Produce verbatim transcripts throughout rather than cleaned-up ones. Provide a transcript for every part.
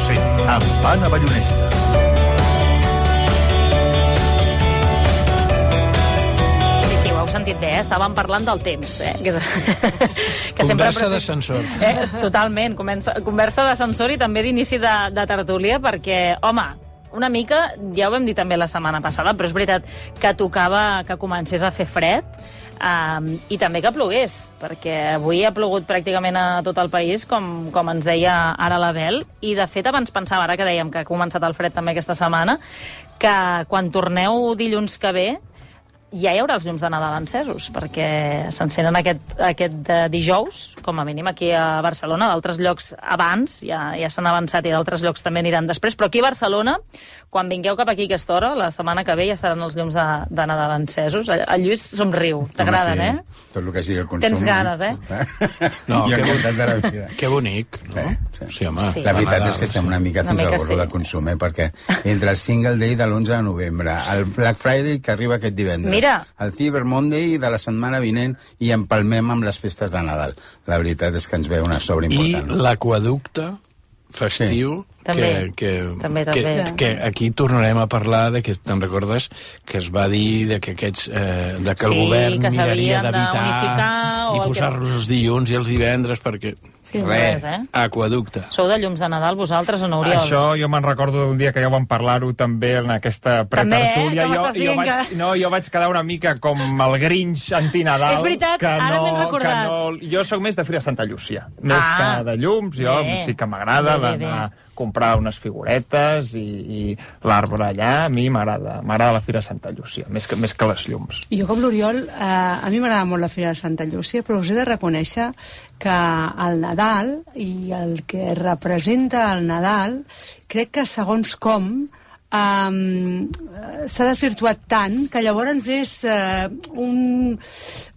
cent amb Anna Ballonesta. Sentit bé, eh? Estàvem parlant del temps, eh? Que, és... que conversa sempre... d'ascensor. Eh? Totalment, conversa, conversa d'ascensor i també d'inici de, de tertúlia, perquè, home, una mica, ja ho vam dir també la setmana passada, però és veritat que tocava que comencés a fer fred, um, i també que plogués, perquè avui ha plogut pràcticament a tot el país, com, com ens deia ara l'Abel, i de fet abans pensava, ara que dèiem que ha començat el fred també aquesta setmana, que quan torneu dilluns que ve, ja hi haurà els llums de Nadal encesos, perquè s'encenen aquest, aquest dijous, com a mínim aquí a Barcelona, d'altres llocs abans, ja, ja s'han avançat i d'altres llocs també aniran després, però aquí a Barcelona, quan vingueu cap aquí aquesta hora, la setmana que ve ja estaran els llums de, de Nadal encesos. El Lluís somriu, t'agraden, sí. eh? Tot el que sigui el consum. Tens ganes, eh? No, que, bon... de la vida. Que bonic, no? Sí, sí. Sí, home, sí. La veritat Nadal, és que estem una mica fins una mica al gorro sí. de consum, eh? Perquè entre el Single Day de l'onze de novembre, el Black Friday que arriba aquest divendres, Mira. el Cyber Monday de la setmana vinent i empalmem amb les festes de Nadal. La veritat és que ens ve una sobre important. I l'aqueducte festiu... Sí. Que, També. que, També, que, també. que aquí tornarem a parlar de que te'n recordes que es va dir de que aquests eh, de que el Sí, govern que miraria s'havien d'evitar d'unificar o i el posar-los que- els dilluns i els divendres perquè Sí, res, res, eh? aqueducte. Sou de llums de Nadal, vosaltres, o no, Oriol? Això jo me'n recordo d'un dia que ja vam parlar-ho també en aquesta pretertúlia. També, eh? Que jo, m'estàs jo, dient vaig, que- no, jo vaig quedar una mica com el Grinch antinadal. És veritat, que ara no, m'he recordat. que no, jo sóc més de Fira Santa Llúcia. Més Ah, que de llums, jo bé. sí que m'agrada Bé, bé, bé. d'anar a comprar unes figuretes i, i l'arbre allà. A mi m'agrada m'agrada la Fira Santa Llúcia, més que, més que les llums. Jo, com l'Oriol, eh, a mi m'agrada molt la Fira de Santa Llúcia, però us he de reconèixer que el Nadal i el que representa el Nadal, crec que segons com um, s'ha desvirtuat tant que llavors és uh, un,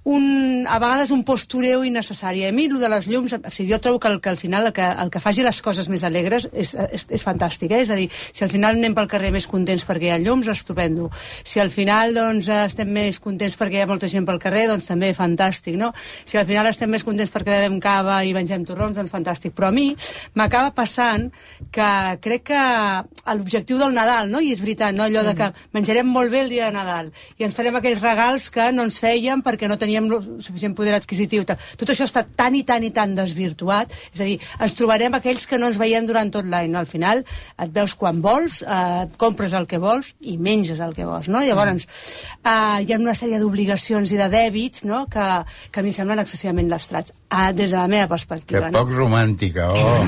un, a vegades un postureu innecessari. A mi, el de les llums, o sigui, jo trobo que, el, que al final el que, el que faci les coses més alegres és, és, és fantàstic, eh? És a dir, si al final anem pel carrer més contents perquè hi ha llums, estupendo. Si al final doncs, estem més contents perquè hi ha molta gent pel carrer, doncs també fantàstic, no? Si al final estem més contents perquè bevem cava i mengem torrons, doncs fantàstic. Però a mi m'acaba passant que crec que l'objectiu del Nadal, no? I és veritat, no? Allò de que menjarem molt bé el dia de Nadal i ens farem aquells regals que no ens fèiem perquè no teníem suficient poder adquisitiu. Tot això està tan i tan i tan desvirtuat, és a dir, ens trobarem aquells que no ens veiem durant tot l'any, no? Al final et veus quan vols, eh, compres el que vols i menges el que vols, no? Llavors, eh, hi ha una sèrie d'obligacions i de dèbits, no? que, que a mi em semblen excessivament lastrats, eh, des de la meva perspectiva. Que poc romàntica, oh!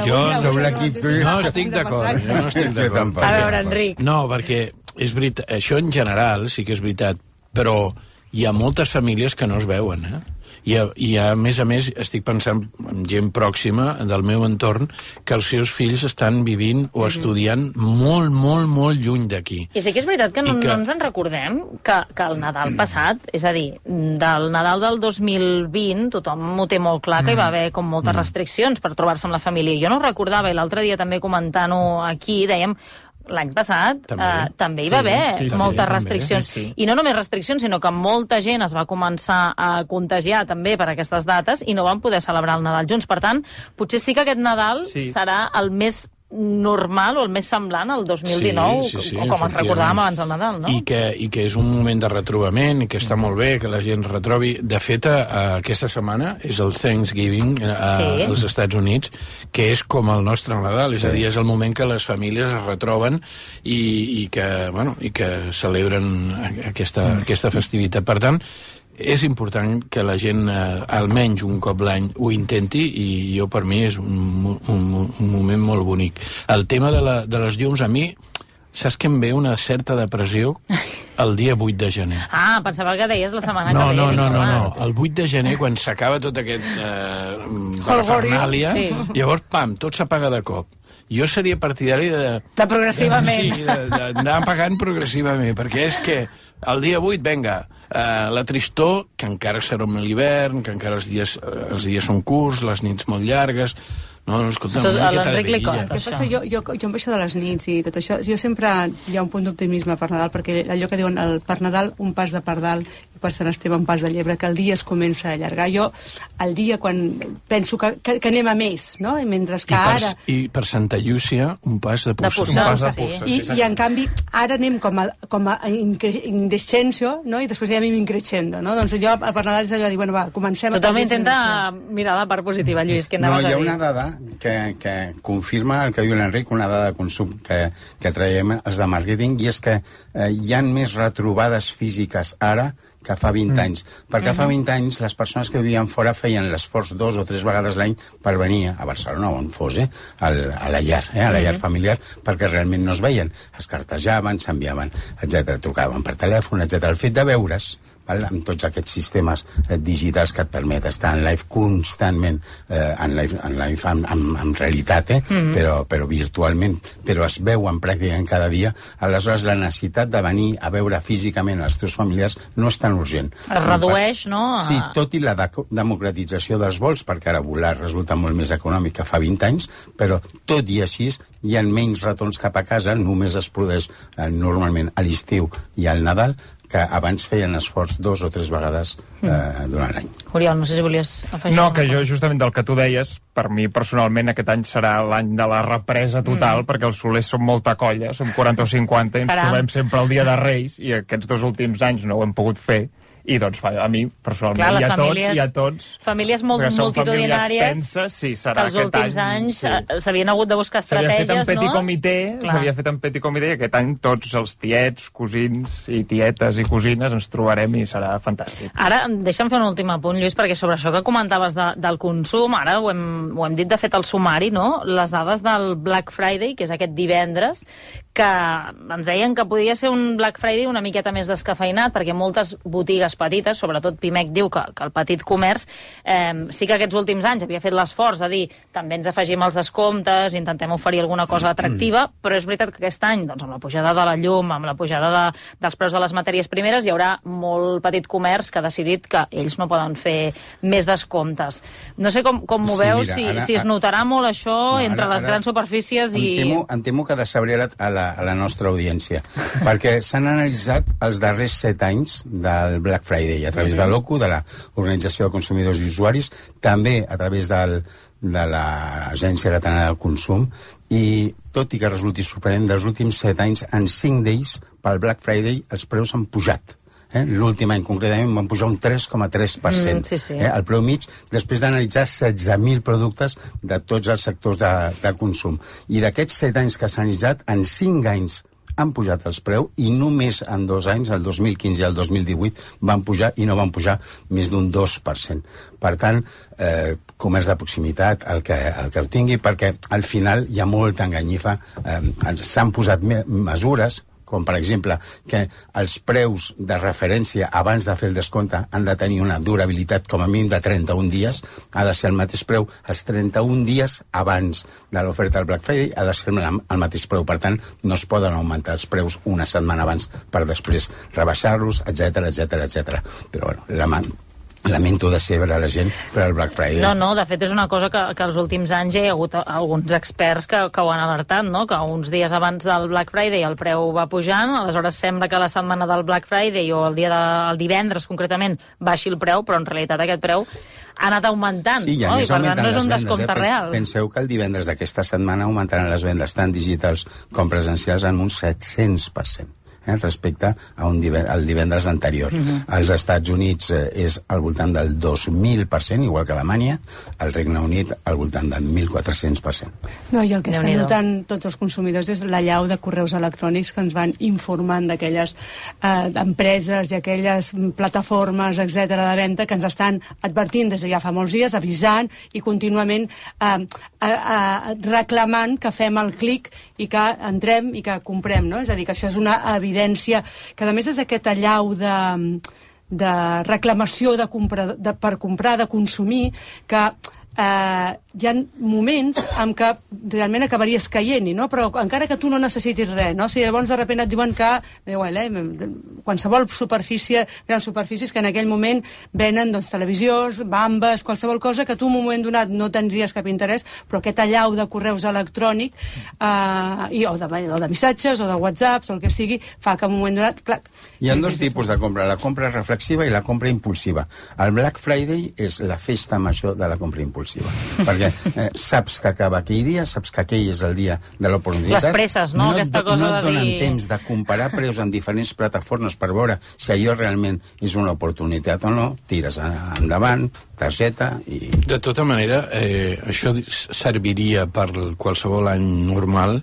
Jo sou l'equip tu i- No estic d'acord, jo no estic Jo d'acord. tampoc. A veure, Enric. No, perquè és veritat, això en general sí que és veritat, però hi ha moltes famílies que no es veuen, eh? I a, i a més a més estic pensant en gent pròxima del meu entorn que els seus fills estan vivint o estudiant molt, molt, molt lluny d'aquí. I sí que és veritat que no, I que- no ens en recordem que, que el Nadal passat, és a dir, del Nadal del dos mil vint, tothom ho té molt clar que hi va haver com moltes restriccions per trobar-se amb la família. Jo no ho recordava, i l'altre dia també comentant-ho aquí, dèiem, l'any passat També. eh, també hi Sí, va haver sí, sí, moltes també, restriccions. sí, sí. I no només restriccions, sinó que molta gent es va començar a contagiar també per aquestes dates i no van poder celebrar el Nadal junts. Per tant, potser sí que aquest Nadal Sí. serà el més normal o el més semblant al dos mil dinou, Sí, sí, sí, com ens recordàvem abans del Nadal, no? I que, I que és un moment de retrobament i que està molt bé que la gent retrobi. De fet, a, aquesta setmana és el Thanksgiving a, Sí. als Estats Units, que és com el nostre Nadal, és Sí. a dir, és el moment que les famílies es retroben i, i, que, bueno, i que celebren aquesta, aquesta festivitat. Per tant, és important que la gent eh, almenys un cop l'any ho intenti i jo per mi és un, un, un moment molt bonic. El tema de, la, de les llums a mi, saps que em ve una certa depressió el dia vuit de gener. Ah, pensava que deies la setmana No, que ve. no, dic, no, no, home. no. El vuit de gener, quan s'acaba tot aquest eh, parafernàlia, Sí. llavors, pam, tot s'apaga de cop. Jo seria partidari de... De progressivament. Sí, de- de- d'anar pagant progressivament, perquè és que el dia vuit, venga, eh, la tristor, que encara serà l'hivern, que encara els dies, eh, els dies són curts, les nits molt llargues... No, no, escolta, Tot una a miqueta de l'Enric li vidilla. costa. Què passa? Jo, jo, jo amb això de les nits i tot això, jo sempre hi ha un punt d'optimisme per Nadal, perquè allò que diuen el per Nadal un pas de pardal per Sant Esteve en Pas de Llebre, que el dia es comença a allargar. Jo, el dia, quan penso que, que, que anem a més, no? I mentre que I per, ara... I per Santa Llúcia, un pas de De Puçol. Puçol, Un pas de sí. Puçol. I, I, en canvi, ara anem com a, com a indescenso, no? I després ja anem increixendo, no? Doncs jo, per Nadal, és allò de dir, bueno, va, comencem... Tothom a intenta mirar la part positiva, Lluís, que No, anaves hi ha a dir. una dada que, que confirma el que diu l'Enric, una dada de consum que, que traiem els de màrqueting, i és que eh, hi ha més retrobades físiques ara que fa vint mm. anys. Perquè mm-hmm. fa vint anys les persones que vivien fora feien l'esforç dos o tres vegades l'any per venir a Barcelona o on fos, eh, al, a la llar, eh, a la llar mm-hmm. familiar, perquè realment no es veien. Es cartejaven, s'enviaven, etcètera, trucaven per telèfon, etcètera. El fet de veure's, val, amb tots aquests sistemes eh, digitals que et permet estar en live constantment, eh, en live, en, live en, en, en realitat, eh, mm-hmm. però, però virtualment, però es veuen pràcticament cada dia, aleshores la necessitat de venir a veure físicament els teus familiars no és tan urgent. Es redueix, no? A... Sí, tot i la de democratització dels vols, perquè ara volar resulta molt més econòmic que fa vint anys, però tot i així hi ha menys retorns cap a casa, només es produeix eh, normalment a l'estiu i al Nadal, que abans feien esforç dos o tres vegades eh, durant l'any. Oriol, no sé si volies afegir... No, que jo, justament del que tu deies, per mi personalment aquest any serà l'any de la represa total, mm. perquè els solers són molta colla, som quaranta o cinquanta, i ens Caram. trobem sempre el dia de Reis, i aquests dos últims anys no ho hem pogut fer, i doncs fa, a mi, personalment, Clar, i a famílies, tots, i a tots... Famílies molt multitudinàries extensa, sí, serà que els aquest últims any, anys sí. s'havien hagut de buscar S'havia estratègies, fet en petit no? comitè, s'havia fet en petit comitè, i aquest any tots els tiets, cosins i tietes i cosines ens trobarem i serà fantàstic. Ara, deixa'm fer un últim apunt, Lluís, perquè sobre això que comentaves de, del consum, ara ho hem, ho hem dit de fet al sumari, no? Les dades del Black Friday, que és aquest divendres, que ens deien que podia ser un Black Friday una miqueta més descafeinat, perquè moltes botigues petites, sobretot Pimec diu que, que el petit comerç, eh, sí que aquests últims anys havia fet l'esforç de dir també ens afegim els descomptes, intentem oferir alguna cosa atractiva, però és veritat que aquest any, doncs, amb la pujada de la llum, amb la pujada de, dels preus de les matèries primeres, hi haurà molt petit comerç que ha decidit que ells no poden fer més descomptes. No sé com, com m'ho Sí, veus, mira, si, ara- si es notarà molt això No, ara- entre les ara grans superfícies i... Em temo, em temo que decebré a la, a la nostra audiència, perquè s'han analitzat els darrers set anys del Black Friday, a través de l'O C U, de l'Organització de Consumidors i Usuaris, també a través del, de l'Agència Catalana del Consum, i tot i que resulti sorprenent, dels últims set anys, en cinc d'ells, pel Black Friday, els preus han pujat. Eh? L'últim any, concretament, van pujar un tres coma tres per cent. Mm, sí, sí. Eh? El preu mig, després d'analitzar setze mil productes de tots els sectors de, de consum. I d'aquests set anys que s'han analitzat, en cinc anys han pujat els preus, i només en dos anys, el dos mil quinze i el dos mil divuit, van pujar, i no van pujar més d'un dos per cent. Per tant, eh, comerç de proximitat, el que, el que ho tingui, perquè al final hi ha molta enganyifa. Eh, s'han posat me mesures, com per exemple que els preus de referència abans de fer el descompte han de tenir una durabilitat com a mínim de trenta-un dies, ha de ser el mateix preu els trenta-un dies abans de l'oferta del Black Friday, ha de ser el mateix preu, per tant no es poden augmentar els preus una setmana abans per després rebaixar-los, etcètera, etcètera, etcètera. Però bueno, la man lamento decebre la gent per al Black Friday. No, no, de fet és una cosa que, que els últims anys hi ha hagut alguns experts que, que ho han alertat, no? Que uns dies abans del Black Friday el preu va pujant, aleshores sembla que la setmana del Black Friday o el dia de, el divendres concretament baixi el preu, però en realitat aquest preu ha anat augmentant, sí, no? I per tant no és un vendes, descompte eh? real. Penseu que el divendres d'aquesta setmana augmentaran les vendes tant digitals com presencials en un set-cents per cent. Eh, respecte a un divendres, al divendres anterior. Uh-huh. Als Estats Units eh, és al voltant del dos mil per cent, igual que a Alemanya, al Regne Unit al voltant del mil quatre-cents per cent. No, i el que estan Déu-n'hi-do. notant tots els consumidors és la llau de correus electrònics que ens van informant d'aquelles eh, empreses i aquelles plataformes, etcètera, de venda que ens estan advertint des de ja fa molts dies, avisant i contínuament eh, eh, eh, reclamant que fem el clic i que entrem i que comprem, no? És a dir, que això és una evidència que, a més, és aquest allau de, de reclamació de compra, de, per comprar, de consumir, que eh, hi ha moments en què realment acabaries caient-hi, no? Però encara que tu no necessitis res, no? Si llavors de sobte et diuen que igual, eh, qualsevol superfície, grans superfícies que en aquell moment venen doncs, televisions, bambes, qualsevol cosa que tu en un moment donat no tindries cap interès, però aquest allau de correus electrònic eh, i, o, de, o de missatges o de whatsapps o el que sigui, fa que en un moment donat... Clar, hi ha dos tipus de compra, la compra reflexiva i la compra impulsiva. El Black Friday és la festa major de la compra impulsiva, perquè eh, saps que acaba aquell dia, saps que aquell és el dia de l'oportunitat. Les presses, no? No, Aquesta et, cosa no et de donen dir... temps de comparar preus en diferents plataformes per veure si allò realment és una oportunitat o no, tires endavant, targeta i... De tota manera, eh, això serviria per qualsevol any normal,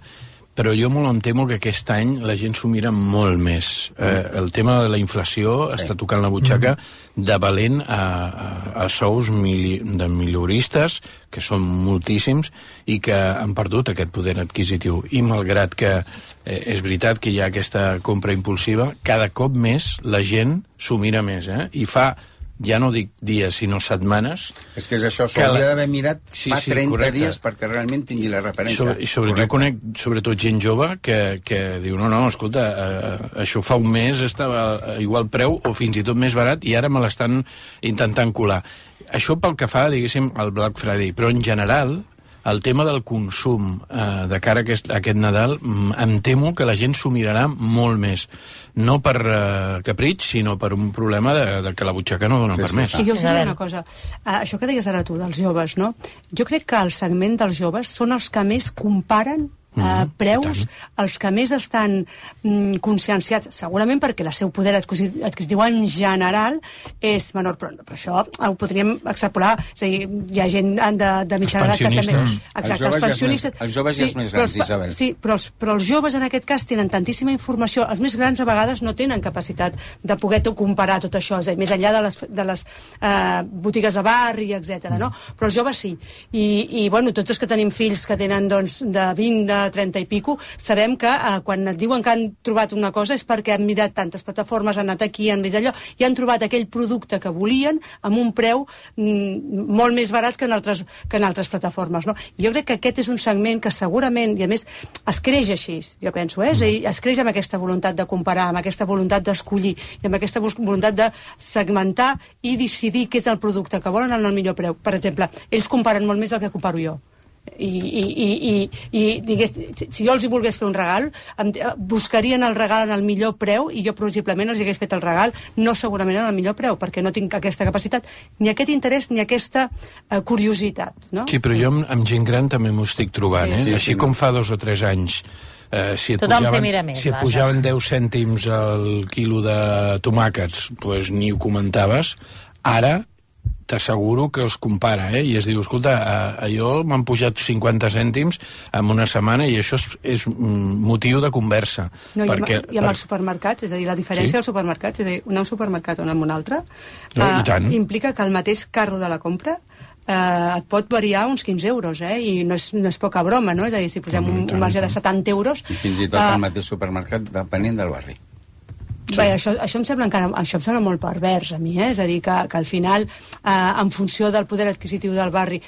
però jo molt em temo que aquest any la gent s'ho mira molt més. Eh, el tema de la inflació sí. està tocant la butxaca de valent a, a, a sous mili, de milioristes, que són moltíssims, i que han perdut aquest poder adquisitiu. I malgrat que eh, és veritat que hi ha aquesta compra impulsiva, cada cop més la gent s'ho mira més, eh? I fa... ja no dic dies, sinó setmanes... És que és això, s'ho hauria la... d'haver mirat sí, fa sí, trenta correcte. dies perquè realment tingui la referència. Sobre, I sobre, jo conec sobretot gent jove que, que diu, no, no, escolta, eh, això fa un mes estava a igual preu o fins i tot més barat i ara me l'estan intentant colar. Això pel que fa, diguéssim, al Black Friday, però en general... el tema del consum eh, de cara a aquest, a aquest Nadal, em temo que la gent s'ho mirarà molt més. No per eh, capritx, sinó per un problema de, de que la butxaca no dona sí, per sí, més. I jo us diré una cosa. Uh, això que deies ara tu, dels joves, no? Jo crec que el segment dels joves són els que més comparen Uh, preus, els que més estan mm, conscienciats, segurament perquè el seu poder adquisitiu en general és menor, però, però això ho podríem extrapolar, és a dir, hi ha gent de, de mitjana edat que també... Exacte, els, els pensionistes... Els joves ja és més grans, Isabel. Sí, però els, però els joves en aquest cas tenen tantíssima informació, els més grans a vegades no tenen capacitat de poder comparar tot això, és a dir, més enllà de les, de les uh, botigues de barri, etcètera, no? Però els joves sí. I, i bueno, tots els que tenim fills que tenen doncs, de vint, de trenta i pico, sabem que eh, quan et diuen que han trobat una cosa és perquè han mirat tantes plataformes, han anat aquí, han vist allò, i han trobat aquell producte que volien amb un preu mm, molt més barat que en altres, que en altres plataformes, no? Jo crec que aquest és un segment que segurament, i a més, es creix així, jo penso, eh? És a dir, es creix amb aquesta voluntat de comparar, amb aquesta voluntat d'escollir, i amb aquesta voluntat de segmentar i decidir què és el producte que volen en el millor preu. Per exemple, ells comparen molt més del que comparo jo. I, i, i, i, i digués, si jo els hi volgués fer un regal, em, buscarien el regal en el millor preu i jo possiblement els hagués fet el regal no segurament en el millor preu, perquè no tinc aquesta capacitat, ni aquest interès ni aquesta uh, curiositat, no? Sí, però jo amb, amb gent gran també m'ho estic trobant, sí, eh? Sí, així sí, com fa dos o tres anys eh, si et tothom pujaven, mira més, si et pujaven deu cèntims al quilo de tomàquets, pues, ni ho comentaves. Ara t'asseguro que els compara, eh? I es diu, escolta, allò m'han pujat cinquanta cèntims en una setmana i això és, és motiu de conversa. No, perquè, i amb, i amb per... els supermercats, és a dir, la diferència sí? dels supermercats, és a dir, anar a un supermercat o anar a un altre, no, eh, implica que el mateix carro de la compra eh, et pot variar uns quinze euros, eh? I no és, no és poca broma, no? És a dir, si posem un, un marge de setanta euros... I fins i tot eh, el mateix supermercat depenent del barri. Sí. Bé, això, això, em sembla encara, això em sembla molt pervers a mi, eh? És a dir, que, que al final, eh, en funció del poder adquisitiu del barri,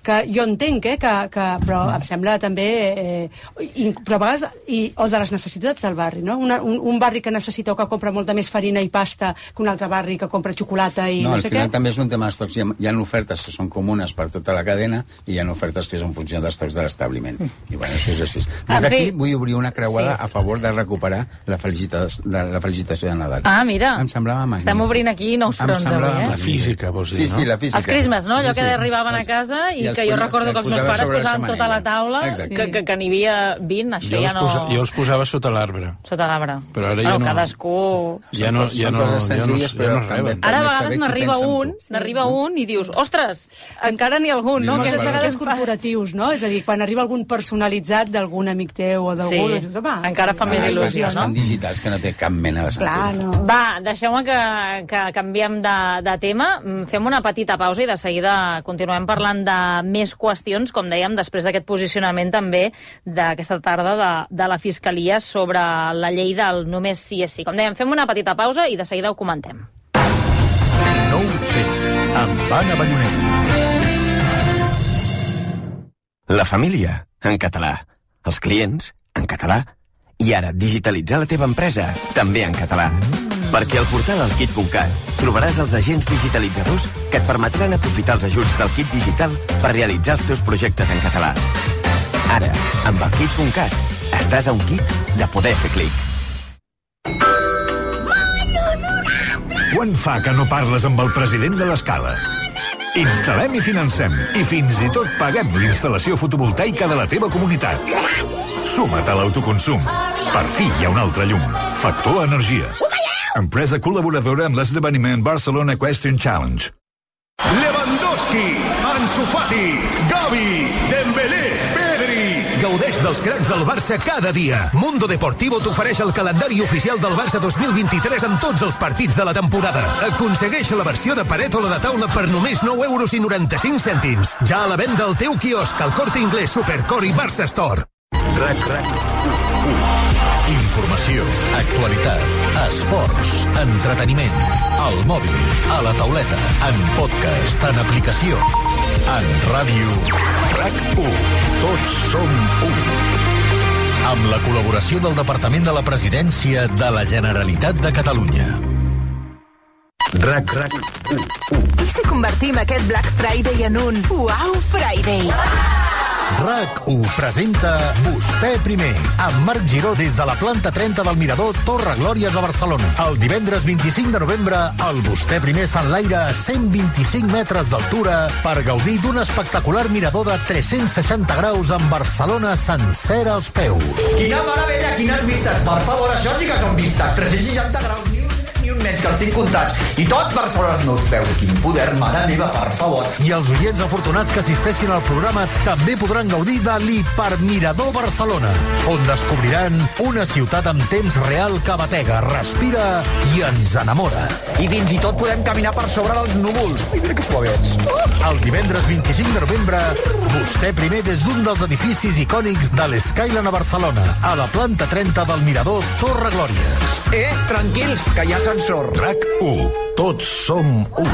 que jo entenc, eh, que, que, però em sembla també... Eh, i, però a vegades... I, o de les necessitats del barri, no? Una, un, un barri que necessita o que compra molta més farina i pasta que un altre barri que compra xocolata i no, no sé què. No, al final també és un tema d'estocs. Hi, ha, hi ha ofertes que són comunes per tota la cadena i hi ha ofertes que són en funció d'estocs de l'establiment. Mm. I bueno, això és així. Des d'aquí vull obrir una creuada sí. a favor de recuperar la, felicitació de, la felicitació de Nadal. Ah, mira. Em semblava magnífic. Estem obrint aquí nous fronts avui, eh? La física, vols dir, sí, no? Sí, la física. Els crismes, no? Allò sí, que sí. arribaven a casa i, i que jo recordo que els meus pares posaven tota la taula, que, que, que n'hi havia vint, això jo ja no... Posa, jo els posava sota l'arbre. Sota l'arbre. Però ara bueno, ja no... cadascú... Ja no, ja no, ja no, ja no, ja no ara a vegades n'arriba un, n'arriba un i dius, ostres, encara n'hi ha algun, no? Moltes vegades corporatius, no? És a dir, quan arriba algun personalitzat d'algun amic teu o d'algú... Sí, dius, encara fa més il·lusió, no? Fan digitals que no té cap mena de sentit. Clar, no. Va, deixeu-me que, que canviem de, de tema, fem una petita pausa i de seguida continuem parlant de més qüestions, com dèiem, després d'aquest posicionament també d'aquesta tarda de, de la Fiscalia sobre la llei del només sí és sí. Com dèiem, fem una petita pausa i de seguida ho comentem. Nou C, amb Anna Ballonesta. La família, en català. Els clients, en català. I ara, digitalitzar la teva empresa, també en català. Perquè al portal alkit punt cat trobaràs els agents digitalitzadors que et permetran aprofitar els ajuts del Kit Digital per realitzar els teus projectes en català. Ara, amb alkit punt cat, estàs a un kit de poder fer clic. Quan fa que no parles amb el president de l'Escala? Instal·lem i financem, i fins i tot paguem l'instal·lació fotovoltaica de la teva comunitat. Suma't a l'autoconsum. Per fi hi ha un altre llum. Factor Energia. Empresa col·laboradora amb l'esdeveniment Barcelona Equestrian Challenge. Lewandowski, Ansu Fati, Gavi, Dembélé, Pedri. Gaudeix dels cracs del Barça cada dia. Mundo Deportivo t'ofereix el calendari oficial del Barça dos mil vint-i-tres amb tots els partits de la temporada. Aconsegueix la versió de paret o la de taula per només nou euros i noranta-cinc cèntims. Ja a la venda al teu quiosc, al Corte Inglés, Supercor i Barça Store. RAC RAC Informació, actualitat, esports, entreteniment, al mòbil, a la tauleta, en podcast, en aplicació, en ràdio. RAC u. Tots som u. Amb la col·laboració del Departament de la Presidència de la Generalitat de Catalunya. RAC RAC u. I si convertim aquest Black Friday en un Wow Friday? RAC u presenta Vostè Primer, amb Marc Giró des de la planta trenta del Mirador Torre Glòries a Barcelona. El divendres vint-i-cinc de novembre, el Vostè Primer s'enlaira a cent vint-i-cinc metres d'altura per gaudir d'un espectacular mirador de tres-cents seixanta graus amb Barcelona sencera als peus. Quina meravella, quines vistes! Per favor, això sí que són vistes! tres-cents seixanta graus, ni un, ni un menys, que els tinc comptats. I tot Barcelona als meus peus. Quin poder, mare meva, per favor. I els oients afortunats que assisteixin al programa també podran gaudir de l'Hipermirador Barcelona, on descobriran una ciutat amb temps real que batega, respira i ens enamora. I fins i tot podem caminar per sobre dels núvols. Mira que suavets. El divendres vint-i-cinc de novembre, Vostè Primer des d'un dels edificis icònics de l'Skyline a Barcelona, a la planta trenta del Mirador Torre Glòries. Eh, tranquils, que hi ha ascensor. RAC u. Tots som u.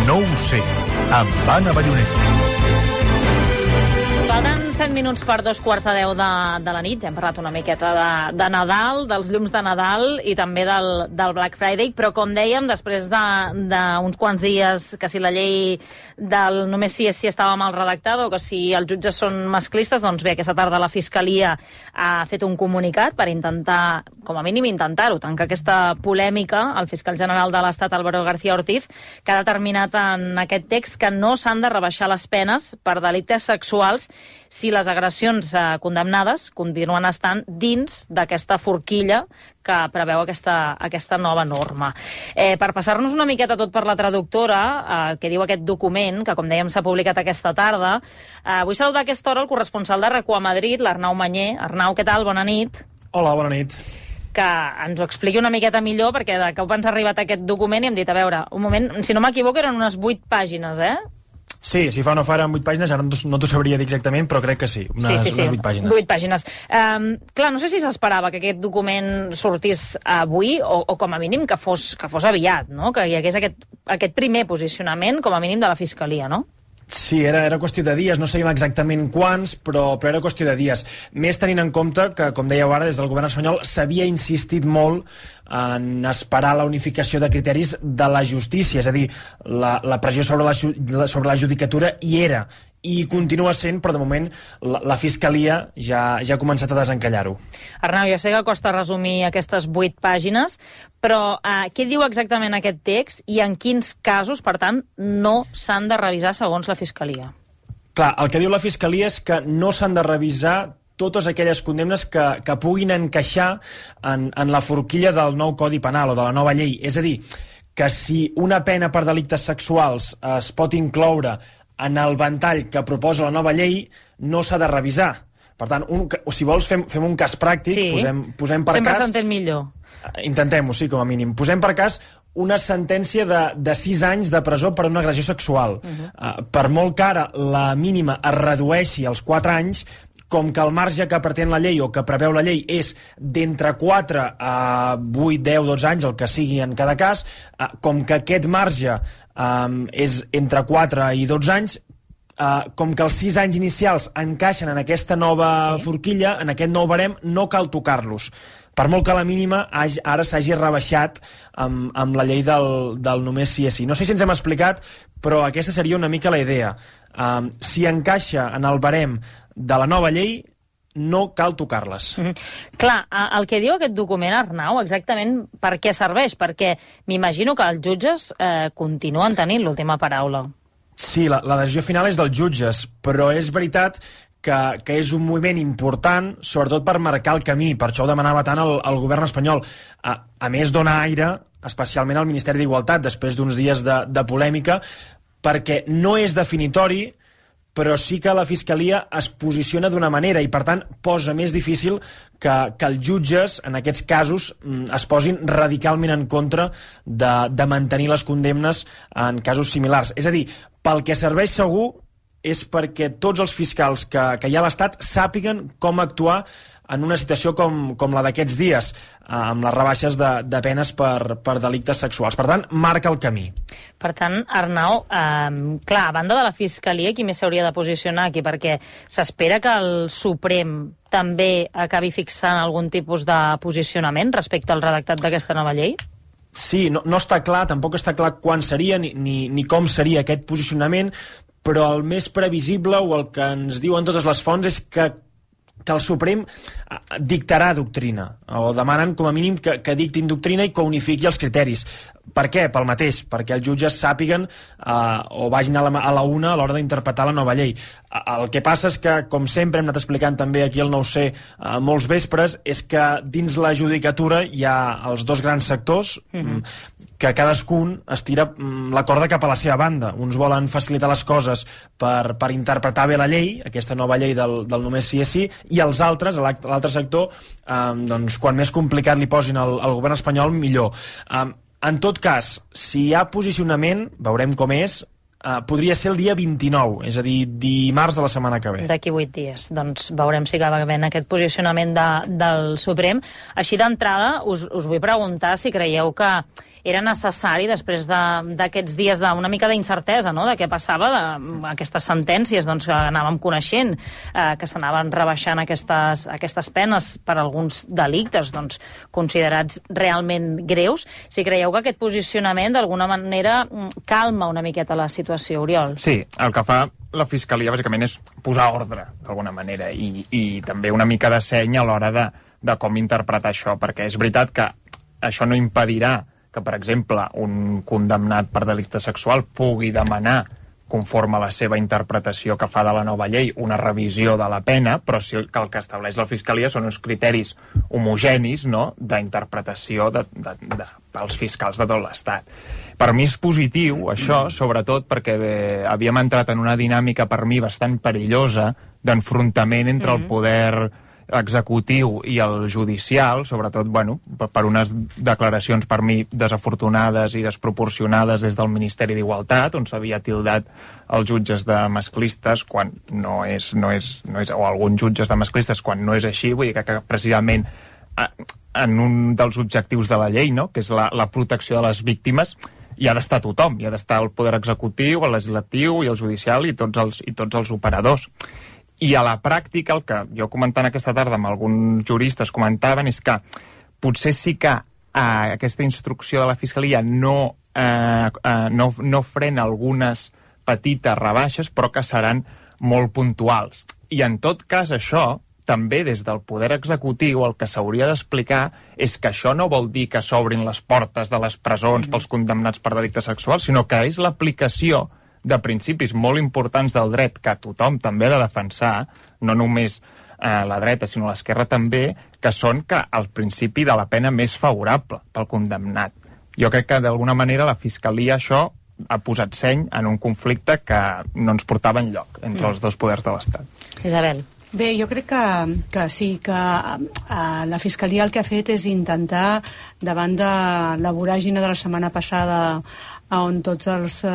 No ho sé, amb Anna Ballonesta. Falten set minuts per dos quarts de deu de, de la nit. Ja hem parlat una miqueta de, de Nadal, dels llums de Nadal i també del, del Black Friday, però com dèiem, després d'uns de, quants dies que si la llei del només sí és sí estava mal redactada o que si els jutges són masclistes, doncs bé, aquesta tarda la Fiscalia ha fet un comunicat per intentar, com a mínim intentar-ho, tancar aquesta polèmica. El fiscal general de l'Estat, Álvaro García Ortiz, que ha determinat en aquest text que no s'han de rebaixar les penes per delictes sexuals si les agressions eh, condemnades continuen estant dins d'aquesta forquilla que preveu aquesta, aquesta nova norma. Eh, per passar-nos una miqueta tot per la traductora, eh, que diu aquest document, que com dèiem s'ha publicat aquesta tarda, eh, vull saludar a aquesta hora el corresponsal de RAC u a Madrid, l'Arnau Manyer. Arnau, què tal? Bona nit. Hola, bona nit. Que ens ho expliqui una miqueta millor, perquè de cop ens ha arribat aquest document i hem dit, a veure, un moment, si no m'equivoco eren unes vuit pàgines, eh? Sí, si fa o no fa eren vuit pàgines, ara no t'ho sabria dir exactament, però crec que sí, unes, sí, sí, sí. unes vuit pàgines. Vuit pàgines. Um, clar, no sé si s'esperava que aquest document sortís avui, o, o com a mínim que fos, que fos aviat, no? Que hi hagués aquest, aquest primer posicionament, com a mínim, de la Fiscalia, no? Sí, era, era qüestió de dies, no sabíem exactament quants, però, però era qüestió de dies. Més tenint en compte que, com dèieu ara, des del govern espanyol s'havia insistit molt en esperar la unificació de criteris de la justícia, és a dir, la, la pressió sobre la, sobre la judicatura hi era, i continua sent, però de moment la, la Fiscalia ja, ja ha començat a desencallar-ho. Arnau, ja sé que costa resumir aquestes vuit pàgines, però eh, què diu exactament aquest text i en quins casos, per tant, no s'han de revisar segons la Fiscalia? Clar, el que diu la Fiscalia és que no s'han de revisar totes aquelles condemnes que, que puguin encaixar en, en la forquilla del nou Codi Penal o de la nova llei. És a dir, que si una pena per delictes sexuals es pot incloure en el ventall que proposa la nova llei, no s'ha de revisar. Per tant, un, si vols, fem, fem un cas pràctic, sí. posem, posem per Sempre cas... s'entén millor. Intentem-ho, sí, com a mínim. Posem per cas una sentència de, de sis anys de presó per una agressió sexual. Uh-huh. uh, per molt que ara la mínima es redueixi als quatre anys, com que el marge que pretén la llei o que preveu la llei és d'entre quatre a vuit, deu, dotze anys, el que sigui en cada cas, eh, com que aquest marge eh, és entre quatre i dotze anys, eh, com que els sis anys inicials encaixen en aquesta nova sí. forquilla, en aquest nou barem, no cal tocar-los. Per molt que la mínima ara s'hagi rebaixat amb, amb la llei del, del només sí és sí. No sé si ens hem explicat, però aquesta seria una mica la idea. Um, si encaixa en el barem de la nova llei, no cal tocar-les. Mm-hmm. Clar, el que diu aquest document, Arnau, exactament per què serveix? Perquè m'imagino que els jutges eh, continuen tenint l'última paraula. Sí, la, la decisió final és dels jutges, però és veritat que, que és un moviment important, sobretot per marcar el camí. Per això ho demanava tant el, el govern espanyol. A, a més, dona aire, especialment al Ministeri d'Igualtat, després d'uns dies de, de polèmica, perquè no és definitori, però sí que la Fiscalia es posiciona d'una manera i, per tant, posa més difícil que, que els jutges, en aquests casos, es posin radicalment en contra de, de mantenir les condemnes en casos similars. És a dir, pel que serveix segur és perquè tots els fiscals que, que hi ha a l'Estat sàpiguen com actuar en una situació com, com la d'aquests dies, eh, amb les rebaixes de, de penes per, per delictes sexuals. Per tant, marca el camí. Per tant, Arnau, eh, clar, a banda de la Fiscalia, qui més s'hauria de posicionar aquí? Perquè s'espera que el Suprem també acabi fixant algun tipus de posicionament respecte al redactat d'aquesta nova llei? Sí, no, no està clar, tampoc està clar quan seria ni, ni, ni com seria aquest posicionament, però el més previsible o el que ens diuen totes les fonts és que que el Suprem dictarà doctrina, o demanen com a mínim que, que dictin doctrina i que unifiqui els criteris. Per què? Pel mateix, perquè els jutges sàpiguen eh, o vagin a la, a la una a l'hora d'interpretar la nova llei. El que passa és que, com sempre hem anat explicant també aquí al nou C eh, molts vespres, és que dins la judicatura hi ha els dos grans sectors mm-hmm. que cadascun estira la corda cap a la seva banda. Uns volen facilitar les coses per, per interpretar bé la llei, aquesta nova llei del, del només sí és sí, i els altres, l'altre sector, eh, doncs, quan més complicat li posin al, al govern espanyol, millor. Eh, En tot cas, si hi ha posicionament, veurem com és, eh, podria ser el dia vint-i-nou, és a dir, dimarts de la setmana que ve. D'aquí vuit dies. Doncs veurem si acaba havent aquest posicionament de, del Suprem. Així d'entrada, us, us vull preguntar si creieu que era necessari, després d'aquests de, dies d'una mica d'incertesa, no?, de què passava, d'aquestes sentències doncs, que anàvem coneixent, eh, que s'anaven rebaixant aquestes, aquestes penes per alguns delictes doncs, considerats realment greus. Si creieu que aquest posicionament d'alguna manera calma una miqueta la situació, Oriol? Sí, el que fa la Fiscalia bàsicament és posar ordre, d'alguna manera, i, i també una mica de seny a l'hora de, de com interpretar això, perquè és veritat que això no impedirà que, per exemple, un condemnat per delicte sexual pugui demanar, conforme a la seva interpretació que fa de la nova llei, una revisió de la pena, però sí que el que estableix la Fiscalia són uns criteris homogenis, no?, d'interpretació de, de, de, pels fiscals de tot l'Estat. Per mi és positiu, això, sobretot perquè bé, havíem entrat en una dinàmica, per mi, bastant perillosa, d'enfrontament entre el poder executiu i el judicial, sobretot, bueno, per unes declaracions per mi desafortunades i desproporcionades des del Ministeri d'Igualtat, on s'havia tildat els jutges de masclistes quan no és, no és, no és, o alguns jutges de masclistes quan no és així, vull dir que, que precisament en un dels objectius de la llei, no?, que és la, la protecció de les víctimes, hi ha d'estar tothom, hi ha d'estar el poder executiu, el legislatiu i el judicial i tots els, i tots els operadors. I a la pràctica, el que jo comentant aquesta tarda amb alguns juristes comentaven és que potser sí que eh, aquesta instrucció de la Fiscalia no, eh, eh, no, no frena algunes petites rebaixes, però que seran molt puntuals. I en tot cas això, també des del poder executiu, el que s'hauria d'explicar és que això no vol dir que s'obrin les portes de les presons pels condemnats per delictes sexuals, sinó que és l'aplicació de principis molt importants del dret que tothom també ha de defensar, no només eh, la dreta sinó l'esquerra també, que són que el principi de la pena més favorable pel condemnat. Jo crec que d'alguna manera la Fiscalia això ha posat seny en un conflicte que no ens portava enlloc entre mm. els dos poders de l'Estat. Isabel. Bé, jo crec que, que sí, que uh, la Fiscalia el que ha fet és intentar, davant de la voràgine de la setmana passada on tots els eh,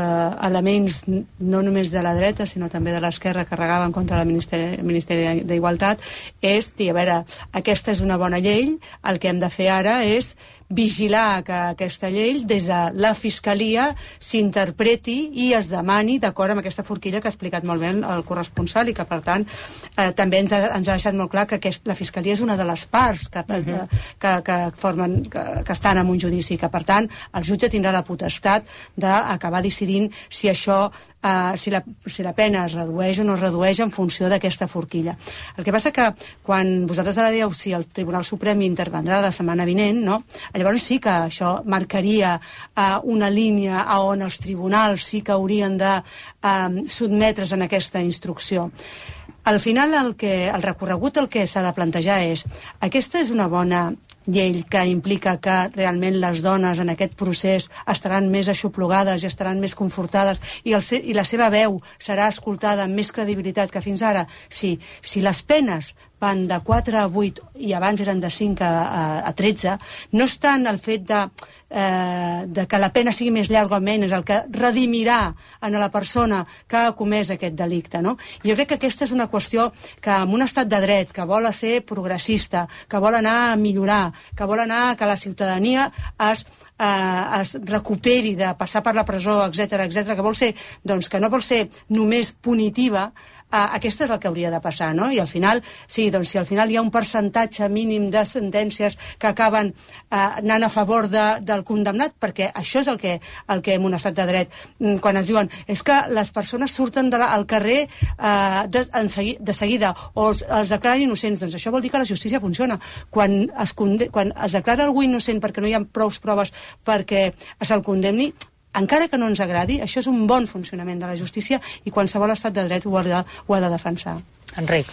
elements, no només de la dreta, sinó també de l'esquerra, carregaven contra el Ministeri, Ministeri d'Igualtat, és dir, a veure, aquesta és una bona llei, el que hem de fer ara és vigilar que aquesta llei des de la Fiscalia s'interpreti i es demani d'acord amb aquesta forquilla que ha explicat molt bé el corresponsal i que per tant eh, també ens ha, ens ha deixat molt clar que aquest, la Fiscalia és una de les parts que, uh-huh. que, que, formen, que, que estan en un judici, que per tant el jutge tindrà la potestat d'acabar decidint si això Uh, si, la, si la pena es redueix o no es redueix en funció d'aquesta forquilla. El que passa que quan vosaltres ara dieu si el Tribunal Suprem intervendrà la setmana vinent, no? Llavors sí que això marcaria uh, una línia a on els tribunals sí que haurien de uh, sotmetre's en aquesta instrucció. Al final el, que, el recorregut el que s'ha de plantejar és aquesta és una bona llei que implica que realment les dones en aquest procés estaran més aixoplugades i estaran més confortades i, el se i la seva veu serà escoltada amb més credibilitat que fins ara. Sí, si les penes van de quatre a vuit i abans eren de cinc a, a, a tretze, no és tant el fet de, eh, de que la pena sigui més llarga o menys, el que redimirà a la persona que ha comès aquest delicte, no? I jo crec que aquesta és una qüestió que en un estat de dret, que vol ser progressista, que vol anar a millorar, que vol anar que la ciutadania es, eh, es recuperi de passar per la presó, etcètera, etcètera, que vol ser, doncs, que no vol ser només punitiva, Uh, aquesta és el que hauria de passar, no? I al final, sí, doncs si al final hi ha un percentatge mínim de sentències que acaben uh, anant a favor de, del condemnat, perquè això és el que, el que en un estat de dret, quan es diuen és que les persones surten de la, al carrer uh, de, en segui, de seguida o els, els declaren innocents, doncs això vol dir que la justícia funciona. Quan es, quan es declara algú innocent perquè no hi ha prou proves perquè se'l condemni, encara que no ens agradi, això és un bon funcionament de la justícia i qualsevol estat de dret ho ha de, ho ha de defensar. Enric.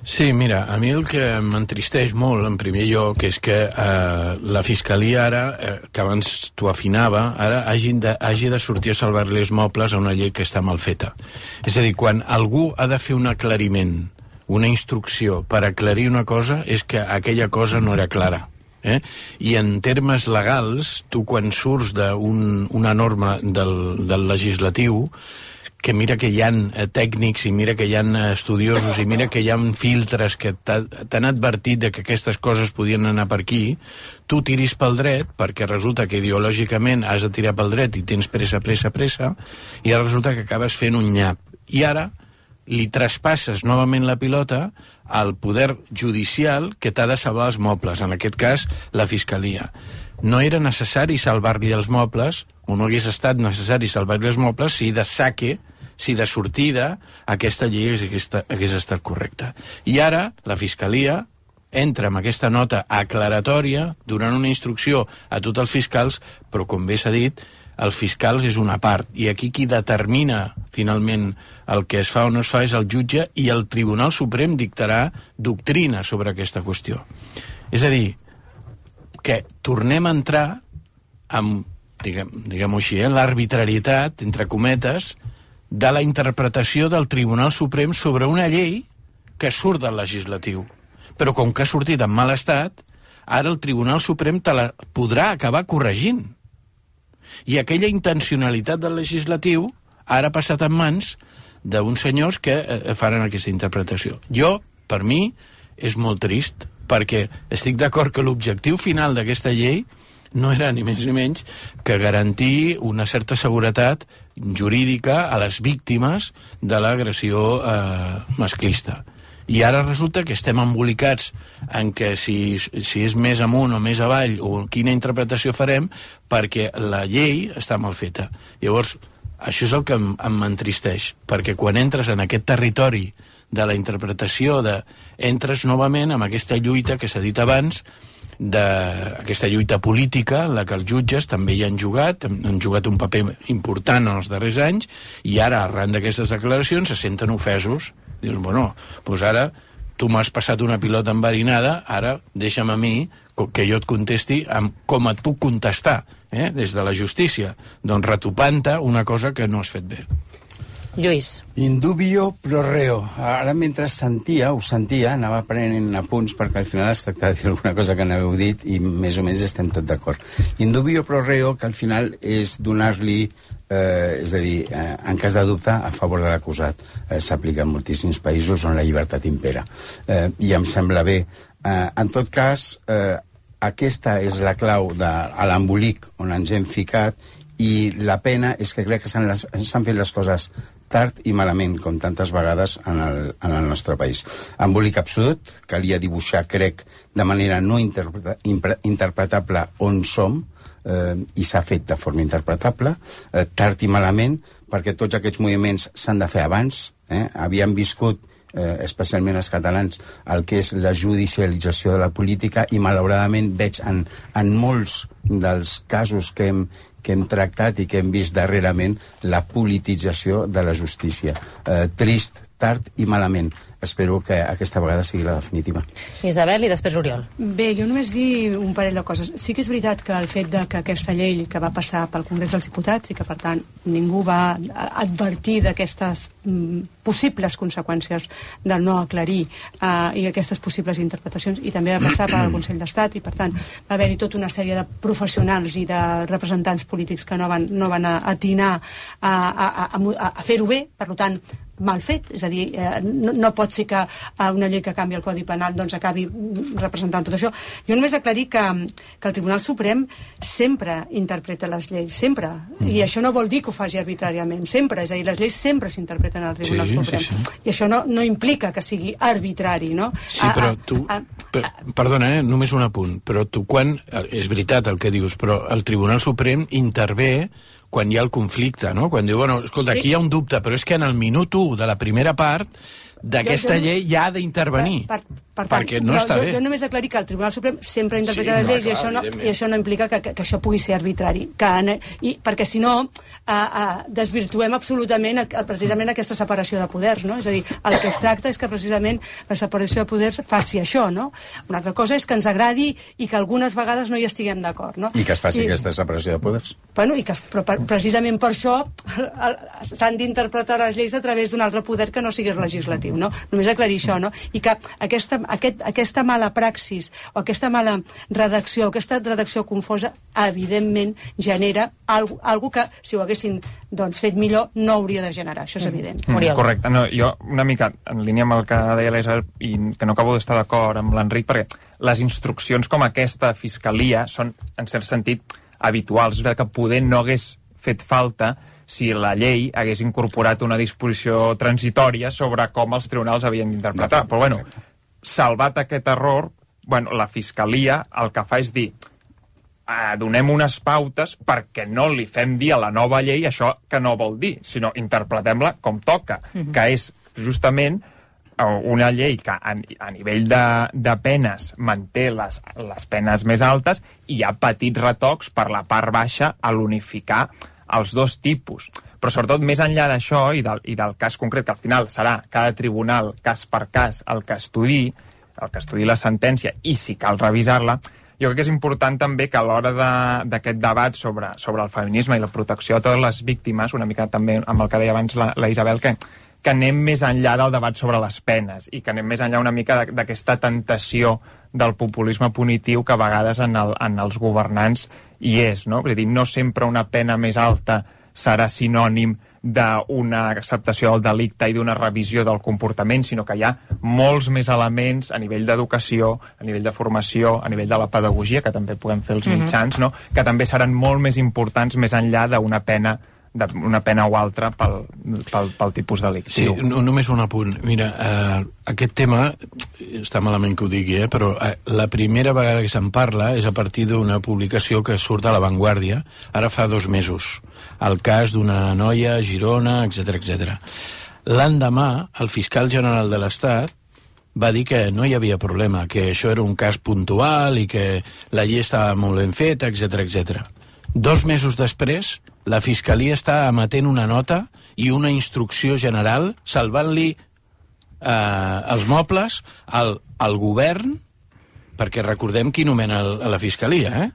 Sí, mira, a mi el que m'entristeix molt, en primer lloc, és que eh, la Fiscalia ara, eh, que abans t'ho afinava, ara hagi de, hagi de sortir a salvar-li els mobles a una llei que està mal feta. És a dir, quan algú ha de fer un aclariment, una instrucció per aclarir una cosa, és que aquella cosa no era clara. Eh? I en termes legals, tu quan surts d'una norma del, del legislatiu, que mira que hi ha eh, tècnics i mira que hi ha estudiosos i mira que hi ha filtres que t'han advertit de que aquestes coses podien anar per aquí, tu tiris pel dret perquè resulta que ideològicament has de tirar pel dret i tens pressa, pressa, pressa, i ara resulta que acabes fent un nyap. I ara li traspasses novament la pilota al poder judicial que t'ha de salvar els mobles, en aquest cas la Fiscalia. No era necessari salvar-li els mobles, o no hagués estat necessari salvar-li els mobles si de saque, si de sortida aquesta llei hagués, hagués estat correcta. I ara la Fiscalia entra amb aquesta nota aclaratòria donant una instrucció a tots els fiscals, però com bé s'ha dit, el fiscal és una part, i aquí qui determina finalment el que es fa o no es fa és el jutge, i el Tribunal Suprem dictarà doctrina sobre aquesta qüestió. És a dir, que tornem a entrar amb, diguem, diguem-ho així, eh, l'arbitrarietat, entre cometes, de la interpretació del Tribunal Suprem sobre una llei que surt del legislatiu. Però com que ha sortit en mal estat, ara el Tribunal Suprem te la podrà acabar corregint. I aquella intencionalitat del legislatiu ara ha passat en mans d'uns senyors que eh, faran aquesta interpretació. Jo, per mi, és molt trist, perquè estic d'acord que l'objectiu final d'aquesta llei no era ni més ni menys que garantir una certa seguretat jurídica a les víctimes de l'agressió eh, masclista. I ara resulta que estem embolicats en que si, si és més amunt o més avall o quina interpretació farem, perquè la llei està mal feta. Llavors, això és el que m'entristeix, perquè quan entres en aquest territori de la interpretació, de, entres novament amb aquesta lluita que s'ha dit abans, d'aquesta lluita política en la que els jutges també hi han jugat, han jugat un paper important en els darrers anys, i ara, arran d'aquestes declaracions, se senten ofesos. Dius, bueno, doncs ara tu m'has passat una pilota enverinada, ara deixa'm a mi que jo et contesti amb com et puc contestar, eh? Des de la justícia, doncs retopant-te una cosa que no has fet bé. Lluís. Indubio pro reo. Ara, mentre sentia, ho sentia, anava prenent apunts, perquè al final es tracta de dir alguna cosa que n'heu dit i més o menys estem tot d'acord. Indubio pro reo, que al final és donar-li, eh, és a dir, eh, en cas de dubte, a favor de l'acusat. Eh, S'aplica en moltíssims països on la llibertat impera. Eh, I em sembla bé. Eh, en tot cas, eh, aquesta és la clau de l'embolic on ens hem ficat, i la pena és que crec que s'han fet les coses tard i malament, com tantes vegades en el, en el nostre país. Embolic absolut, calia dibuixar, crec, de manera no interpreta, interpretable on som, eh, i s'ha fet de forma interpretable, eh, tard i malament, perquè tots aquests moviments s'han de fer abans. Eh? Havíem viscut, eh, especialment els catalans, el que és la judicialització de la política, i malauradament veig en, en molts dels casos que hem que hem tractat i que hem vist darrerament la politització de la justícia. Eh, trist, tard i malament. Espero que aquesta vegada sigui la definitiva. Isabel i després Oriol. Bé, jo només dir un parell de coses. Sí que és veritat que el fet de que aquesta llei que va passar pel Congrés dels Diputats i que, per tant, ningú va advertir d'aquestes mm, possibles conseqüències del no aclarir uh, i aquestes possibles interpretacions, i també va passar pel Consell d'Estat, i, per tant, va haver-hi tota una sèrie de professionals i de representants polítics que no van, no van atinar a, a, a, a, a fer-ho bé, per tant, mal fet, és a dir, eh, no, no pot ser que eh, una llei que canvi el Codi Penal doncs acabi representant tot això. Jo només aclarir que, que el Tribunal Suprem sempre interpreta les lleis, sempre, mm. i això no vol dir que ho faci arbitràriament, sempre, és a dir, les lleis sempre s'interpreten al Tribunal sí, Suprem, sí, sí. I això no, no implica que sigui arbitrari, no? Sí, però tu, a, a, per, perdona, eh, només un apunt, però tu quan, és veritat el que dius, però el Tribunal Suprem intervé quan hi ha el conflicte, no? Quan diu, bueno, escolta, sí. Aquí hi ha un dubte, però és que en el minut u de la primera part d'aquesta llei ja ha d'intervenir, per, per, per tant, perquè no està jo, bé. Jo només aclarir que el Tribunal Suprem sempre interpreta sí, les lleis, no, i, això no, i això no implica que, que, que això pugui ser arbitrari, que, i, perquè si no uh, uh, desvirtuem absolutament el, precisament aquesta separació de poders, no? És a dir, el que es tracta és que precisament la separació de poders faci això, no? Una altra cosa és que ens agradi i que algunes vegades no hi estiguem d'acord, no? I que es faci I, aquesta separació de poders. Bueno, i que, però per, precisament per això s'han d'interpretar les lleis a través d'un altre poder que no sigui legislatiu. No? Només aclarir això, no? I que aquesta, aquest, aquesta mala praxis o aquesta mala redacció, aquesta redacció confosa, evidentment genera algo, algo que, si ho haguessin doncs, fet millor, no hauria de generar. Això és evident. Mm, correcte. No, jo, una mica, en línia amb el que deia l'Isabel, i que no acabo d'estar d'acord amb l'Enric, perquè les instruccions com aquesta de Fiscalia són, en cert sentit, habituals. És veritat que poder no hagués fet falta si la llei hagués incorporat una disposició transitòria sobre com els tribunals havien d'interpretar. Però, bueno, salvat aquest error, bueno, la Fiscalia el que fa és dir eh, donem unes pautes perquè no li fem dir a la nova llei això que no vol dir, sinó interpretem-la com toca, mm-hmm. que és justament una llei que a, a nivell de, de penes manté les, les penes més altes i hi ha petits retocs per la part baixa a l'unificar els dos tipus. Però sobretot més enllà d'això i del, i del cas concret, que al final serà cada tribunal, cas per cas, el que estudi, el que estudi la sentència, i si cal revisar-la, jo crec que és important també que a l'hora d'aquest de, debat sobre, sobre el feminisme i la protecció de totes les víctimes, una mica també amb el que deia abans la, la Isabel, que, que anem més enllà del debat sobre les penes i que anem més enllà una mica d'aquesta tentació del populisme punitiu que a vegades en, el, en els governants hi és, no? És a dir, no sempre una pena més alta serà sinònim d'una acceptació del delicte i d'una revisió del comportament, sinó que hi ha molts més elements a nivell d'educació, a nivell de formació, a nivell de la pedagogia, que també podem fer els mitjans, no? Que també seran molt més importants més enllà d'una pena d'una pena o altra pel, pel, pel tipus delictiu. Sí, no, només un apunt. Mira, eh, aquest tema, està malament que ho digui, eh, però eh, la primera vegada que se'n parla és a partir d'una publicació que surt a La Vanguardia, ara fa dos mesos, el cas d'una noia a Girona, etcètera, etcètera. L'endemà, el fiscal general de l'Estat va dir que no hi havia problema, que això era un cas puntual i que la llei estava molt ben feta, etcètera, etcètera. Dos mesos després, la Fiscalia està emetent una nota i una instrucció general salvant-li eh, els mobles al, al govern, perquè recordem qui nomena el, a la Fiscalia, eh?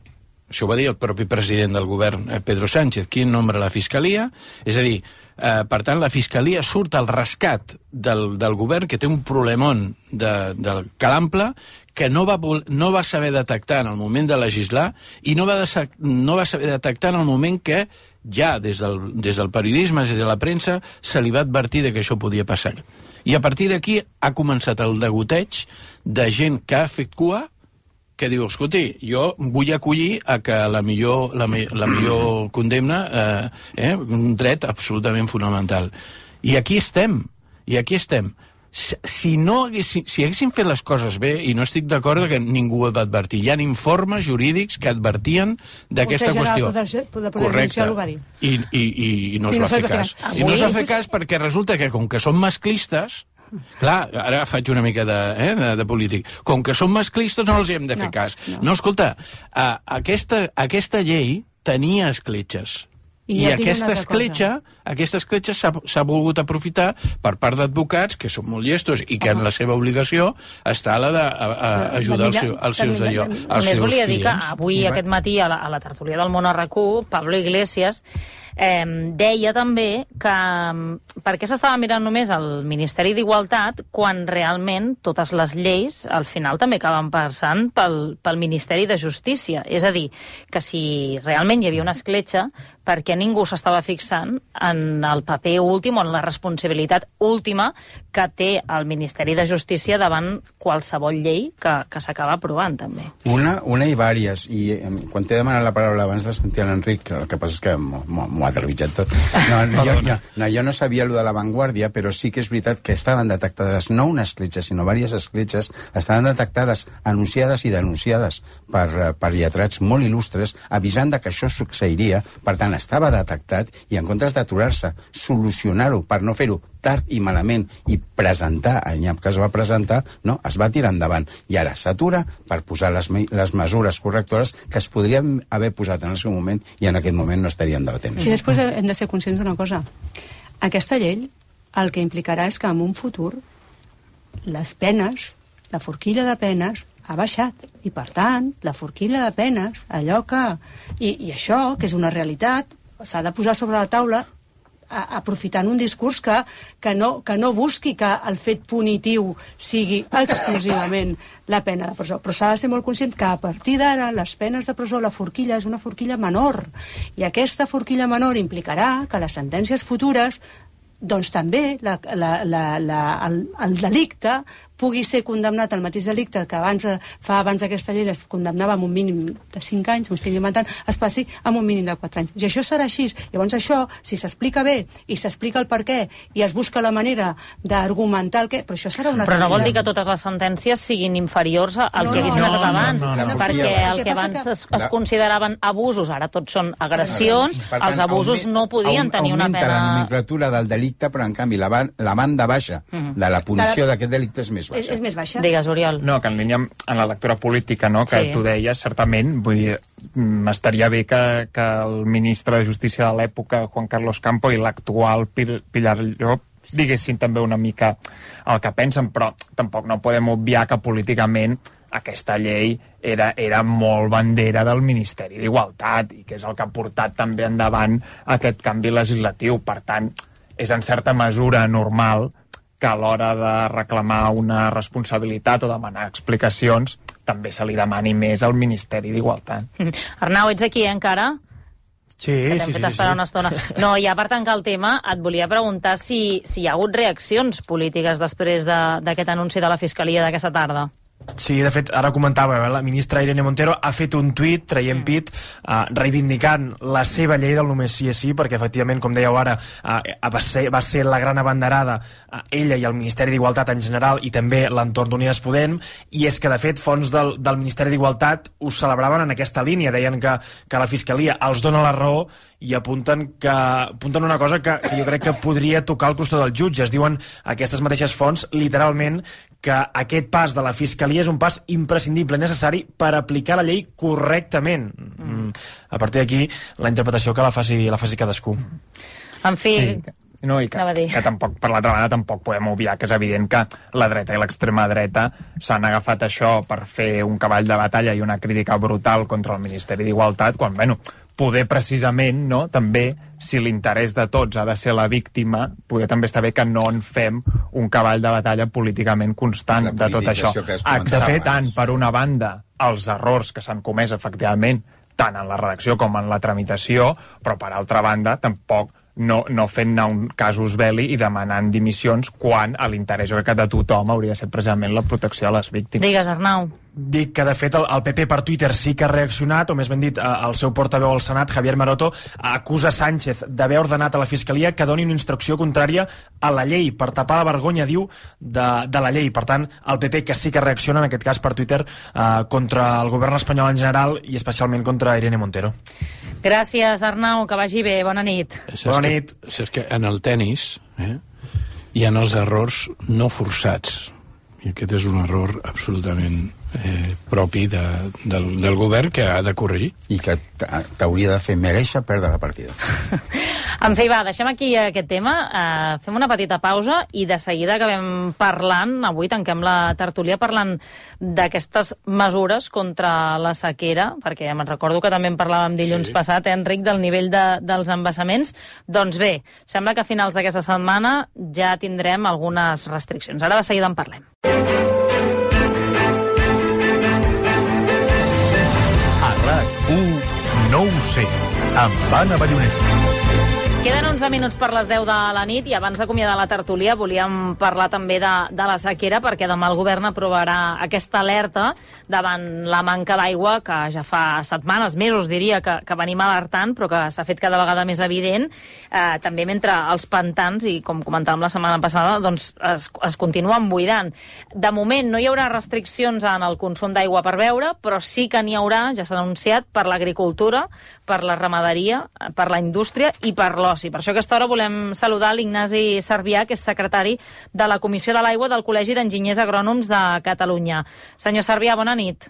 això ho va dir el propi president del govern, Pedro Sánchez, qui nombra la Fiscalia, és a dir, eh, per tant, la Fiscalia surt al rescat del, del govern, que té un problemon de, del calample, que no va, no va saber detectar en el moment de legislar i no va, de, no va saber detectar en el moment que ja des del, des del periodisme, des de la premsa, se li va advertir de que això podia passar. I a partir d'aquí ha començat el degoteig de gent que ha fet cua, que diu, escolti, jo vull acollir a que la millor, la, la millor condemna, eh, eh, un dret absolutament fonamental. I aquí estem, i aquí estem. Si, no haguessin, si haguessin fet les coses bé, i no estic d'acord que ningú ho va advertir, hi ha informes jurídics que advertien d'aquesta qüestió. Correcte. I, i, i no es va fer cas. I no es va fer cas perquè resulta que, com que són masclistes, clar, ara faig una mica de, eh, de, de polític, com que són masclistes no els hem de fer cas. No, no escolta, uh, aquesta, aquesta llei tenia escletxes. I, I aquesta escletxa, aquesta escletxa s'ha volgut aprofitar per part d'advocats que són molt llestos i que en la seva obligació està la d'ajudar els, els seus d'allò. Només volia dir que avui, aquest matí, a la, a la tertúlia del Món R Q, Pablo Iglesias eh, deia també que per què s'estava mirant només el Ministeri d'Igualtat quan realment totes les lleis al final també acaben passant pel, pel Ministeri de Justícia. És a dir, que si realment hi havia una escletxa, perquè ningú s'estava fixant en el paper últim o en la responsabilitat última que té el Ministeri de Justícia davant qualsevol llei que, que s'acaba aprovant, també. Una, una i vàries, i eh, quan t'he demanat la paraula abans de sentir l'Enric, el que passa és que m'ho ha trepitjat tot. No, no, jo, jo, no, jo no sabia allò de l'avantguàrdia, però sí que és veritat que estaven detectades no una escletxa, sinó diverses escletxes, estaven detectades, anunciades i denunciades per, per lletrats molt il·lustres, avisant de que això succeiria. Per tant, estava detectat i en comptes d'aturar-se, solucionar-ho per no fer-ho tard i malament i presentar, en cap que es va presentar, no, es va tirar endavant. I ara s'atura per posar les, les mesures correctores que es podrien haver posat en el seu moment i en aquest moment no estarien debatent. I després hem de ser conscients d'una cosa. Aquesta llei el que implicarà és que en un futur les penes, la forquilla de penes, ha baixat, i per tant, la forquilla de penes, allò que... I, i això, que és una realitat, s'ha de posar sobre la taula a, aprofitant un discurs que, que, no, que no busqui que el fet punitiu sigui exclusivament la pena de presó. Però s'ha de ser molt conscient que a partir d'ara les penes de presó, la forquilla és una forquilla menor, i aquesta forquilla menor implicarà que les sentències futures doncs també la, la, la, la, el, el delicte pugui ser condemnat al mateix delicte que abans, fa abans aquesta llei es condemnava amb un mínim de cinc anys, m'ho estic inventant, es passi amb un mínim de quatre anys. I això serà així. Llavors això, si s'explica bé i s'explica el per què i es busca la manera d'argumentar el què, però això serà una... Però no vol dir que totes les sentències siguin inferiors al no, que haguessin no, estat abans, no, no, no, no, perquè el que abans es, es consideraven abusos, ara tots són agressions, no, els abusos augment, no podien tenir una pena... Augmenta la nomenclatura del delicte, però en canvi la, la banda baixa uh-huh. de la punició d'aquest delicte és més baixa. És, és més baixa. Digues, Oriol. No, que en línia amb en la lectura política, no?, que sí. Tu deies, certament, vull dir, estaria bé que, que el ministre de Justícia de l'època, Juan Carlos Campo, i l'actual Pilar Llop diguessin també una mica el que pensen, però tampoc no podem obviar que políticament aquesta llei era, era molt bandera del Ministeri d'Igualtat i que és el que ha portat també endavant aquest canvi legislatiu. Per tant, és en certa mesura normal que a l'hora de reclamar una responsabilitat o demanar explicacions també se li demani més al Ministeri d'Igualtat. Mm. Arnau, ets aquí, eh, encara? Sí, sí, sí, sí. Una estona. No, ja per tancar el tema, et volia preguntar si, si hi ha hagut reaccions polítiques després d'aquest de, anunci de la Fiscalia d'aquesta tarda. Sí, de fet, ara comentava, eh, la ministra Irene Montero ha fet un tuit traient pit eh, reivindicant la seva llei del només sí és sí, perquè efectivament, com dèieu ara, eh, va, ser, va ser la gran abanderada eh, ella i el Ministeri d'Igualtat en general i també l'entorn d'Unides Podem, i és que de fet fons del, del Ministeri d'Igualtat ho celebraven en aquesta línia, deien que, que la Fiscalia els dona la raó i apunten, que, apunten una cosa que, que jo crec que podria tocar el costat dels jutges. Diuen aquestes mateixes fonts, literalment, que aquest pas de la Fiscalia és un pas imprescindible, necessari per aplicar la llei correctament. Mm. A partir d'aquí, la interpretació que la faci, la faci cadascú. En fi... Sí. No, i que, que tampoc, per l'altra banda, tampoc podem obviar que és evident que la dreta i l'extrema dreta s'han agafat això per fer un cavall de batalla i una crítica brutal contra el Ministeri d'Igualtat, quan, bueno, poder precisament, no, també, si l'interès de tots ha de ser la víctima, poder també està bé que no en fem un cavall de batalla políticament constant de tot això. De fet, tant, per una banda, els errors que s'han comès, efectivament, tant en la redacció com en la tramitació, però per altra banda, tampoc no, no fent anar un casus belli i demanant dimissions quan a l'interès que de tothom hauria de ser precisament la protecció a les víctimes. Digues, Arnau. Dic que, de fet, el, el P P per Twitter sí que ha reaccionat, o més ben dit, el seu portaveu al Senat, Javier Maroto, acusa Sánchez d'haver ordenat a la Fiscalia que doni una instrucció contrària a la llei, per tapar la vergonya, diu, de, de la llei. Per tant, el P P que sí que reacciona, en aquest cas per Twitter, eh, contra el govern espanyol en general i especialment contra Irene Montero. Gràcies, Arnau, que vagi bé. Bona nit. Saps Bona nit. Que, saps que en el tennis eh, hi ha els errors no forçats. I aquest és un error absolutament eh, propi de, del, del govern que ha de corregir. I que t'hauria de fer mereixer perdre la partida. En fi, va, deixem aquí aquest tema, uh, fem una petita pausa i de seguida acabem parlant, avui tanquem la tertúlia parlant d'aquestes mesures contra la sequera, perquè me'n recordo que també en parlàvem dilluns sí. passat, eh, Enric, del nivell de, dels embassaments. Doncs bé, sembla que a finals d'aquesta setmana ja tindrem algunes restriccions. Ara de seguida en parlem. A RAC u no ho sé, amb Anna Ballonesta. Queden onze minuts per les deu de la nit i abans d'acomiadar la tertúlia volíem parlar també de, de la sequera, perquè demà el govern aprovarà aquesta alerta davant la manca d'aigua que ja fa setmanes, mesos diria, que, que venim alertant, però que s'ha fet cada vegada més evident, eh, també mentre els pantans, i com comentàvem la setmana passada, doncs es, es continuen buidant. De moment no hi haurà restriccions en el consum d'aigua per beure, però sí que n'hi haurà, ja s'ha anunciat, per l'agricultura, per la ramaderia, per la indústria i per l'oci. Per això a aquesta hora volem saludar l'Ignasi Sarbià, que és secretari de la Comissió de l'Aigua del Col·legi d'Enginyers Agrònoms de Catalunya. Senyor Sarbià, bona nit.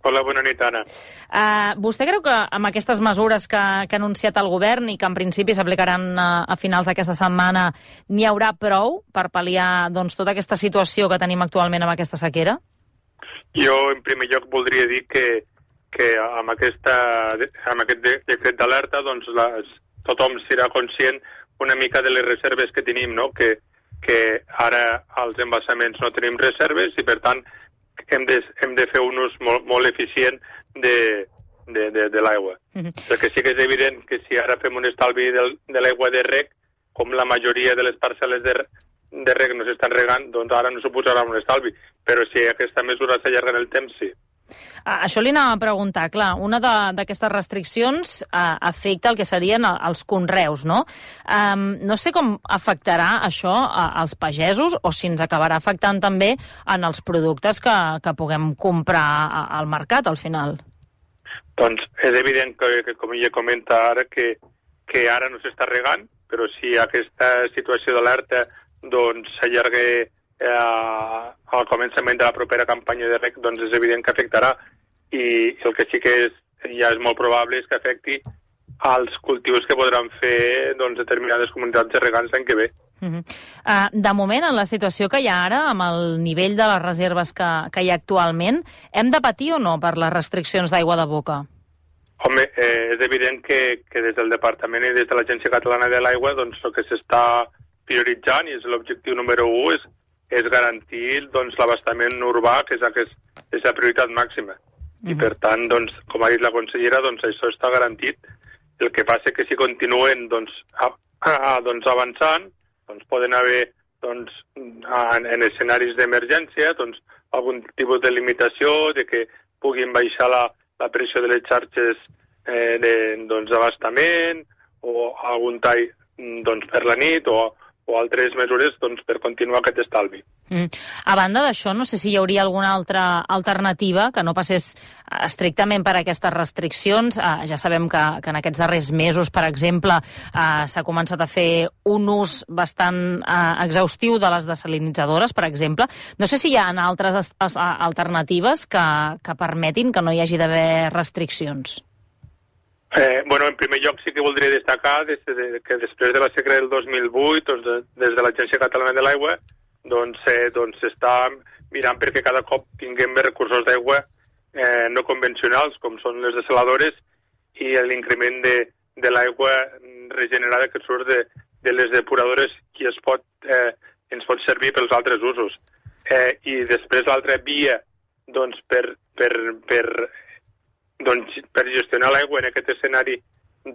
Hola, bona nit, Anna. Uh, vostè creu que amb aquestes mesures que, que ha anunciat el govern i que en principi s'aplicaran a, a finals d'aquesta setmana n'hi haurà prou per pal·liar doncs, tota aquesta situació que tenim actualment amb aquesta sequera? Jo, en primer lloc, voldria dir que que amb, aquesta, amb aquest decret d'alerta doncs les, tothom serà conscient una mica de les reserves que tenim, no? que, que ara als embassaments no tenim reserves i per tant hem de, hem de fer un ús molt, molt eficient de, de, de, de l'aigua. Mm-hmm. Perquè sí que és evident que si ara fem un estalvi del, de l'aigua de reg, com la majoria de les parcel·les de, de reg no s'estan regant, doncs ara no suposarà un estalvi. Però si aquesta mesura s'allarga en el temps, sí. Ah, això li anava a preguntar, clar, una d'aquestes restriccions ah, afecta el que serien els conreus, no? Um, no sé com afectarà això als pagesos o si ens acabarà afectant també en els productes que, que puguem comprar al mercat, al final. Doncs és evident que, que com ella comenta ara, que, que ara no s'està regant, però si aquesta situació d'alerta doncs s'allarga Eh, al començament de la propera campanya de reg, doncs és evident que afectarà i el que sí que és, ja és molt probable és que afecti als cultius que podran fer doncs, determinades comunitats de regants l'any que ve. Uh-huh. uh, de moment, en la situació que hi ha ara, amb el nivell de les reserves que, que hi ha actualment, hem de patir o no per les restriccions d'aigua de boca? Home, eh, és evident que, que des del Departament i des de l'Agència Catalana de l'Aigua doncs el que s'està prioritzant i és l'objectiu número u és és garantir doncs, l'abastament urbà, que és, aquest, és la prioritat màxima. Uh-huh. I per tant, doncs, com ha dit la consellera, doncs, això està garantit. El que passa que si continuen doncs, a, a, doncs, avançant, doncs, poden haver doncs, en, en escenaris d'emergència doncs, algun tipus de limitació, de que puguin baixar la, la pressió de les xarxes eh, d'abastament, doncs, o algun tall doncs, per la nit, o o altres mesures doncs, per continuar aquest estalvi. Mm. A banda d'això, no sé si hi hauria alguna altra alternativa que no passés estrictament per aquestes restriccions. Uh, ja sabem que, que en aquests darrers mesos, per exemple, uh, s'ha començat a fer un ús bastant uh, exhaustiu de les desalinitzadores, per exemple. No sé si hi ha altres alternatives que, que permetin que no hi hagi d'haver restriccions. Eh, bueno, en primer lloc sí que voldria destacar des de, que després de la sequera del dos mil vuit, doncs, de, des de l'Agència Catalana de l'Aigua, doncs s'està doncs, doncs, mirant perquè cada cop tinguem més recursos d'aigua eh, no convencionals, com són les desaladores, i l'increment de, de l'aigua regenerada que surt de, de les depuradores i es pot, eh, ens pot servir pels altres usos. Eh, I després l'altra via doncs, per, per, per, doncs, per gestionar l'aigua en aquest escenari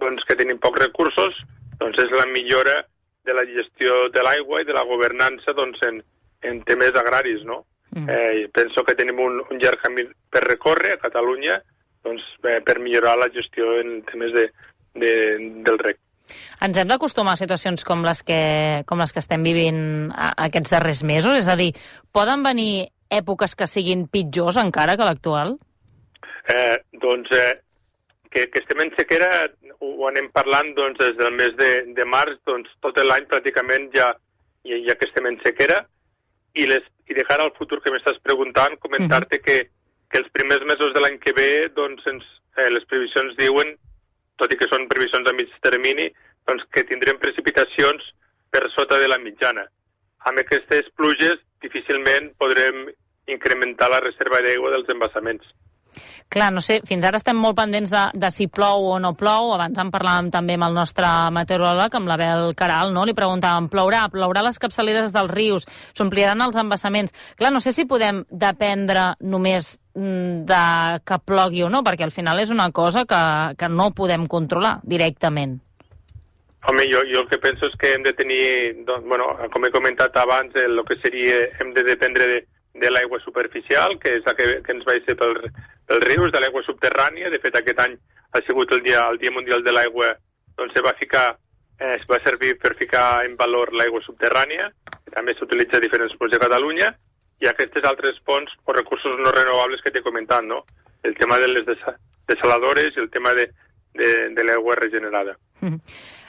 doncs, que tenim pocs recursos doncs, és la millora de la gestió de l'aigua i de la governança doncs, en, en temes agraris. No? Mm. Eh, penso que tenim un, un llarg camí per recórrer a Catalunya doncs, eh, per millorar la gestió en temes de, de, del rec. Ens hem d'acostumar a situacions com les que, com les que estem vivint aquests darrers mesos? És a dir, poden venir èpoques que siguin pitjors encara que l'actual? Eh, doncs eh, que, que estem en sequera ho anem parlant doncs, des del mes de, de març, doncs, tot l'any pràcticament ja, ja, ja que estem en sequera i, les, i de cara al futur que m'estàs preguntant, comentar-te uh-huh. que, que els primers mesos de l'any que ve doncs, ens, eh, les previsions diuen, tot i que són previsions a mig termini, doncs que tindrem precipitacions per sota de la mitjana. Amb aquestes pluges difícilment podrem incrementar la reserva d'aigua dels embassaments. Clar, no sé, fins ara estem molt pendents de, de si plou o no plou. Abans en parlàvem també amb el nostre meteoròleg, amb l'Abel Caral, no? Li preguntàvem, plourà, plourà les capçaleres dels rius, s'ompliran els embassaments. Clar, no sé si podem dependre només de que plogui o no, perquè al final és una cosa que, que no podem controlar directament. Home, jo, jo el que penso és que hem de tenir, doncs, bueno, com he comentat abans, el que seria, hem de dependre de, de l'aigua superficial, que és la que, que ens va ser pel, pels rius, de l'aigua subterrània. De fet, aquest any ha sigut el dia, el dia mundial de l'aigua, doncs se va ficar, eh, es va servir per ficar en valor l'aigua subterrània, que també s'utilitza a diferents punts de Catalunya, i aquestes altres fonts o recursos no renovables que t'he comentat, no? El tema de les desaladores i el tema de, de, de l'aigua regenerada. Mm.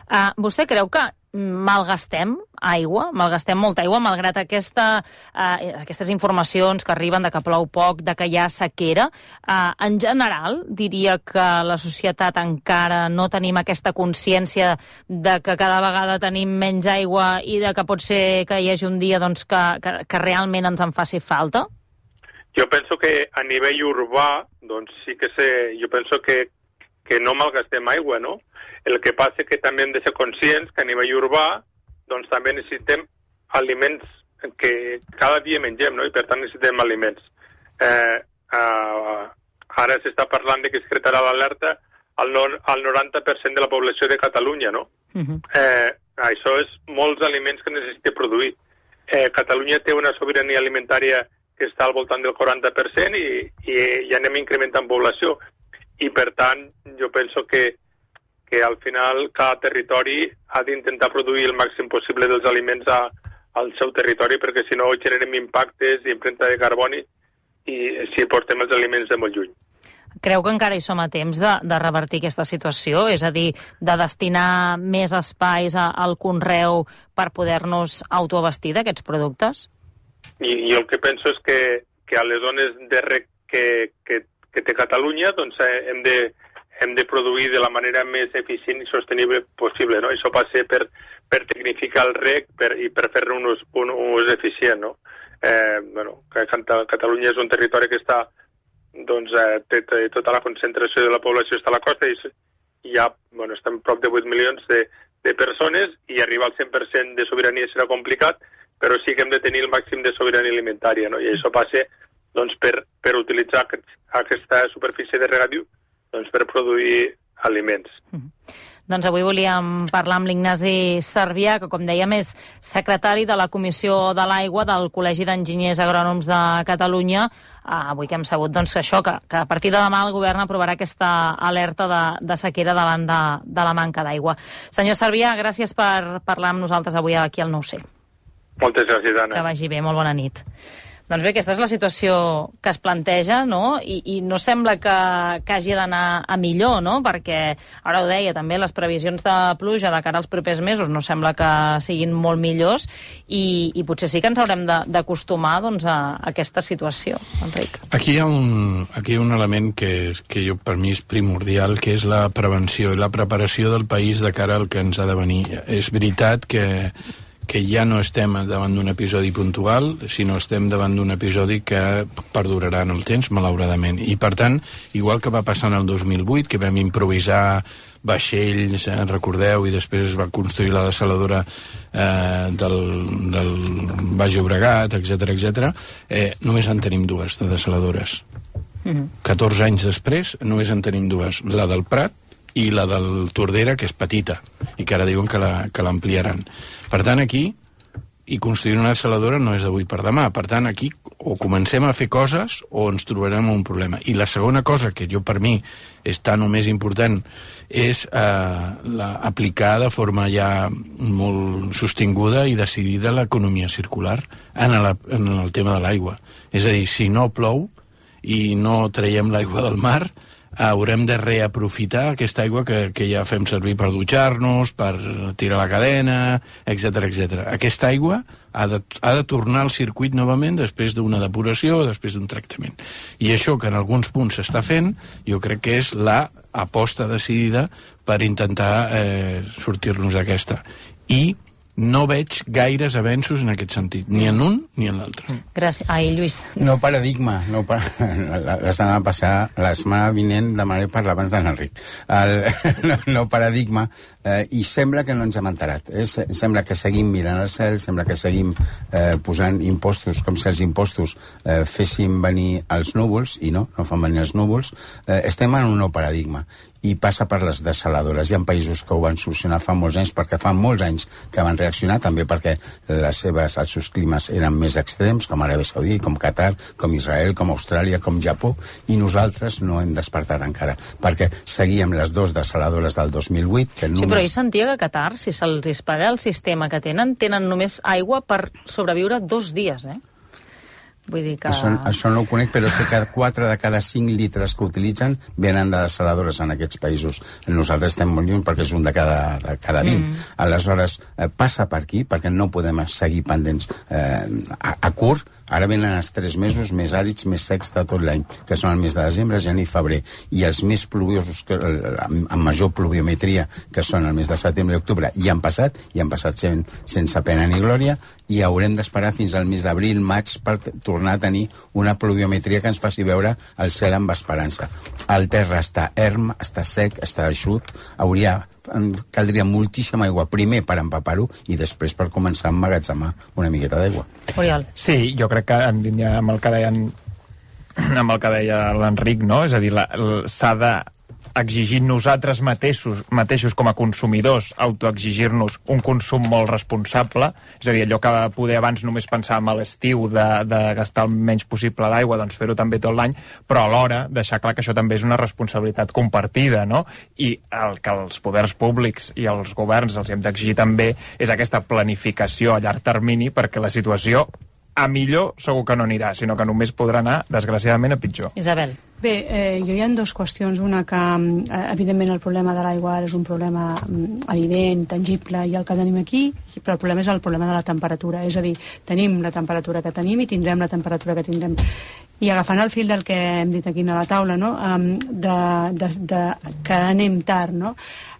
Uh, vostè creu que malgastem aigua, malgastem molta aigua, malgrat aquesta, uh, aquestes informacions que arriben de que plou poc, de que hi ha sequera? Uh, en general, diria que la societat encara no tenim aquesta consciència de que cada vegada tenim menys aigua i de que pot ser que hi hagi un dia doncs, que, que, que realment ens en faci falta? Jo penso que a nivell urbà, doncs sí que sé, jo penso que, que no malgastem aigua, no? El que passa és que també hem de ser conscients que a nivell urbà doncs també necessitem aliments que cada dia mengem, no? I per tant necessitem aliments. Eh, eh, ara s'està parlant de que es crearà l'alerta al, no, al noranta per cent de la població de Catalunya, no? Uh-huh. Eh, això és molts aliments que necessita produir. Eh, Catalunya té una sobirania alimentària que està al voltant del quaranta per cent i, i, i anem incrementant població. I per tant, jo penso que que al final cada territori ha d'intentar produir el màxim possible dels aliments a, al seu territori, perquè si no generem impactes i empremta de carboni i si portem els aliments de molt lluny. Creu que encara hi som a temps de, de revertir aquesta situació? És a dir, de destinar més espais a, al conreu per poder-nos autoabastir d'aquests productes? I, i el que penso és que, que a les zones de rec que, que, que té Catalunya doncs hem de hem de produir de la manera més eficient i sostenible possible, no? Això passa per, per tecnificar el rec per, i per fer-ne un, ús, un, un ús eficient, no? Eh, bueno, Catalunya és un territori que està, doncs, eh, té, té, tota la concentració de la població està a la costa i hi ha, bueno, estem prop de vuit milions de, de persones i arribar al cent per cent de sobirania serà complicat, però sí que hem de tenir el màxim de sobirania alimentària, no? I això passa, doncs, per, per utilitzar aquest, aquesta superfície de regadiu doncs per produir aliments. Mm. Doncs avui volíem parlar amb l'Ignasi Sarbià, que com dèiem és secretari de la Comissió de l'Aigua del Col·legi d'Enginyers Agrònoms de Catalunya. Uh, avui que hem sabut doncs, això, que, que a partir de demà el govern aprovarà aquesta alerta de, de sequera davant de, de la manca d'aigua. Senyor Sarbià, gràcies per parlar amb nosaltres avui aquí al nou C. Moltes gràcies, Anna. Que vagi bé, molt bona nit. Doncs bé, aquesta és la situació que es planteja, no? I, i no sembla que, que hagi d'anar a millor, no? Perquè, ara ho deia també, les previsions de pluja de cara als propers mesos no sembla que siguin molt millors i, i potser sí que ens haurem d'acostumar doncs, a, a aquesta situació, Enric. Aquí hi ha un, aquí hi ha un element que, que jo, per mi és primordial, que és la prevenció i la preparació del país de cara al que ens ha de venir. És veritat que que ja no estem davant d'un episodi puntual, sinó estem davant d'un episodi que perdurarà en el temps, malauradament. I, per tant, igual que va passar en el dos mil vuit, que vam improvisar vaixells, eh, recordeu, i després es va construir la dessaladora eh, del, del Baix Llobregat, etcètera, etcètera, eh, només en tenim dues de dessaladores. Mm-hmm. catorze anys després, només en tenim dues. La del Prat i la del Tordera, que és petita, i que ara diuen que l'ampliaran. Per tant, aquí, i construir una dessaladora no és d'avui per demà. Per tant, aquí o comencem a fer coses o ens trobarem un problema. I la segona cosa, que jo per mi és tan o més important, és eh, la, aplicar de forma ja molt sostinguda i decidida l'economia circular en, la, en el tema de l'aigua. És a dir, si no plou i no traiem l'aigua del mar, haurem de reaprofitar aquesta aigua que, que ja fem servir per dutxar-nos, per tirar la cadena, etcètera, etcètera. Aquesta aigua ha de, ha de tornar al circuit novament després d'una depuració o després d'un tractament. I això que en alguns punts s'està fent, jo crec que és la aposta decidida per intentar eh, sortir-nos d'aquesta. I no veig gaires avenços en aquest sentit, ni en un ni en l'altre. Gràcies. Ai, Lluís. No paradigma. No pa... la, la setmana passada, la setmana vinent, demanaré parlar abans de l'Enric. El... no, no paradigma, eh, i sembla que no ens hem enterat. Eh? Sembla que seguim mirant al cel, sembla que seguim eh, posant impostos, com si els impostos eh, fessin venir els núvols, i no, no fan venir els núvols. Eh, estem en un nou paradigma. I passa per les dessaladores. Hi ha països que ho van solucionar fa molts anys, perquè fa molts anys que van reaccionar, també perquè les seves, els seus climes eren més extrems, com Aràbia Saudita, com Qatar, com Israel, com Austràlia, com Japó, i nosaltres no hem despertat encara, perquè seguíem les dues dessaladores del dos mil vuit, que només... Sí, però ell sentia que a Qatar, si se'ls espaga el sistema que tenen, tenen només aigua per sobreviure dos dies, eh? Vull dir que... Això, això no ho conec, però sé que quatre de cada cinc litres que utilitzen venen de dessaladores en aquests països. Nosaltres estem molt lluny perquè és un de cada, de cada vint. Mm. Aleshores, eh, passa per aquí, perquè no podem seguir pendents eh, a, a curt. Ara venen els tres mesos més àrids, més secs de tot l'any, que són el mes de desembre, gener i febrer. I els més pluviosos, que, amb major pluviometria, que són el mes de setembre i octubre, i han passat, i han passat sen, sense pena ni glòria, i haurem d'esperar fins al mes d'abril, maig, per tornar a tenir una pluviometria que ens faci veure el cel amb esperança. El terra està erm, està sec, està eixut, hauria... caldria moltíssima aigua, primer per empapar-ho i després per començar a emmagatzemar una miqueta d'aigua. Oriol. Sí, jo crec que en línia amb el que deien amb el que deia l'Enric, no? És a dir, s'ha de exigir nosaltres mateixos, mateixos com a consumidors, autoexigir-nos un consum molt responsable, és a dir, allò que poder abans només pensàvem a l'estiu de, de gastar el menys possible d'aigua, doncs fer-ho també tot l'any, però alhora deixar clar que això també és una responsabilitat compartida, no? I el que els poders públics i els governs els hem d'exigir també és aquesta planificació a llarg termini, perquè la situació a millor segur que no anirà, sinó que només podrà anar, desgraciadament, a pitjor. Isabel. Bé, eh, jo hi ha dues qüestions. Una que, eh, evidentment, el problema de l'aigua és un problema mm, evident, tangible, i el que tenim aquí, però el problema és el problema de la temperatura. És a dir, tenim la temperatura que tenim i tindrem la temperatura que tindrem. I agafant el fil del que hem dit aquí a la taula, no? um, de, de, de, que anem tard, no?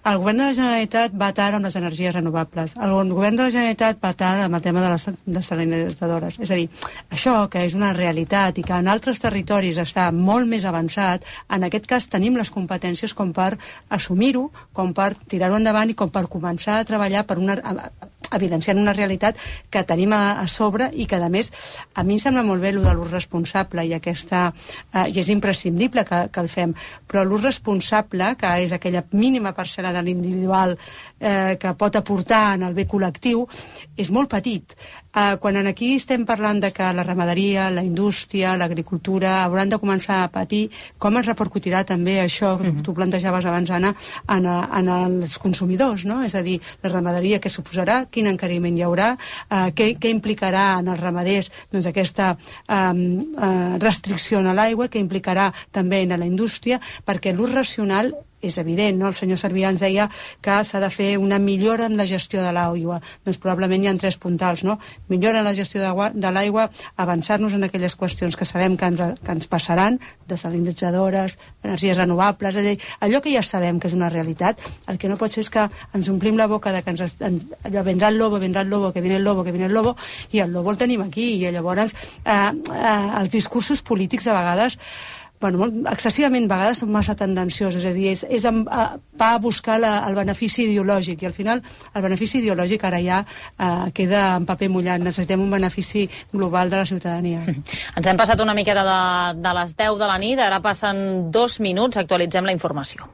El govern de la Generalitat va tard amb les energies renovables. El govern de la Generalitat va tard amb el tema de les desalinizadores. És a dir, això que és una realitat i que en altres territoris està molt més avançat, en aquest cas tenim les competències com per assumir-ho, com per tirar-ho endavant i com per començar a treballar per una... evidenciant una realitat que tenim a, a sobre i que, a més, a mi em sembla molt bé el de l'ús responsable i aquesta, eh, i és imprescindible que, que el fem, però l'ús responsable, que és aquella mínima parcel·la de l'individual eh, que pot aportar en el bé col·lectiu, és molt petit. Eh, quan aquí estem parlant de que la ramaderia, la indústria, l'agricultura hauran de començar a patir, com es repercutirà també això, mm-hmm. tu plantejaves abans, Anna, en, en els consumidors, no? És a dir, la ramaderia, què suposarà? quin encariment hi haurà, eh, què, què implicarà en els ramaders doncs, aquesta eh, eh, restricció a l'aigua, què implicarà també en la indústria, perquè l'ús racional és evident, no? El senyor Servià ens deia que s'ha de fer una millora en la gestió de l'aigua. Doncs probablement hi ha tres puntals, no? Millora en la gestió de l'aigua, avançar-nos en aquelles qüestions que sabem que ens, que ens passaran, desalinitzadores, energies renovables, és a dir, allò que ja sabem que és una realitat. El que no pot ser és que ens omplim la boca de que ens, en, allò vendrà el lobo, vendrà el lobo, que viene el lobo, que viene el lobo, i el lobo el tenim aquí, i llavors eh, eh, els discursos polítics a vegades bueno, molt, excessivament vegades són massa tendenciosos, és a dir, és, és a, a, va a buscar la, el benefici ideològic, i al final el benefici ideològic ara ja eh, queda en paper mullat. Necessitem un benefici global de la ciutadania. Ens hem passat una miqueta de, de les deu de la nit, ara passen dos minuts, actualitzem la informació.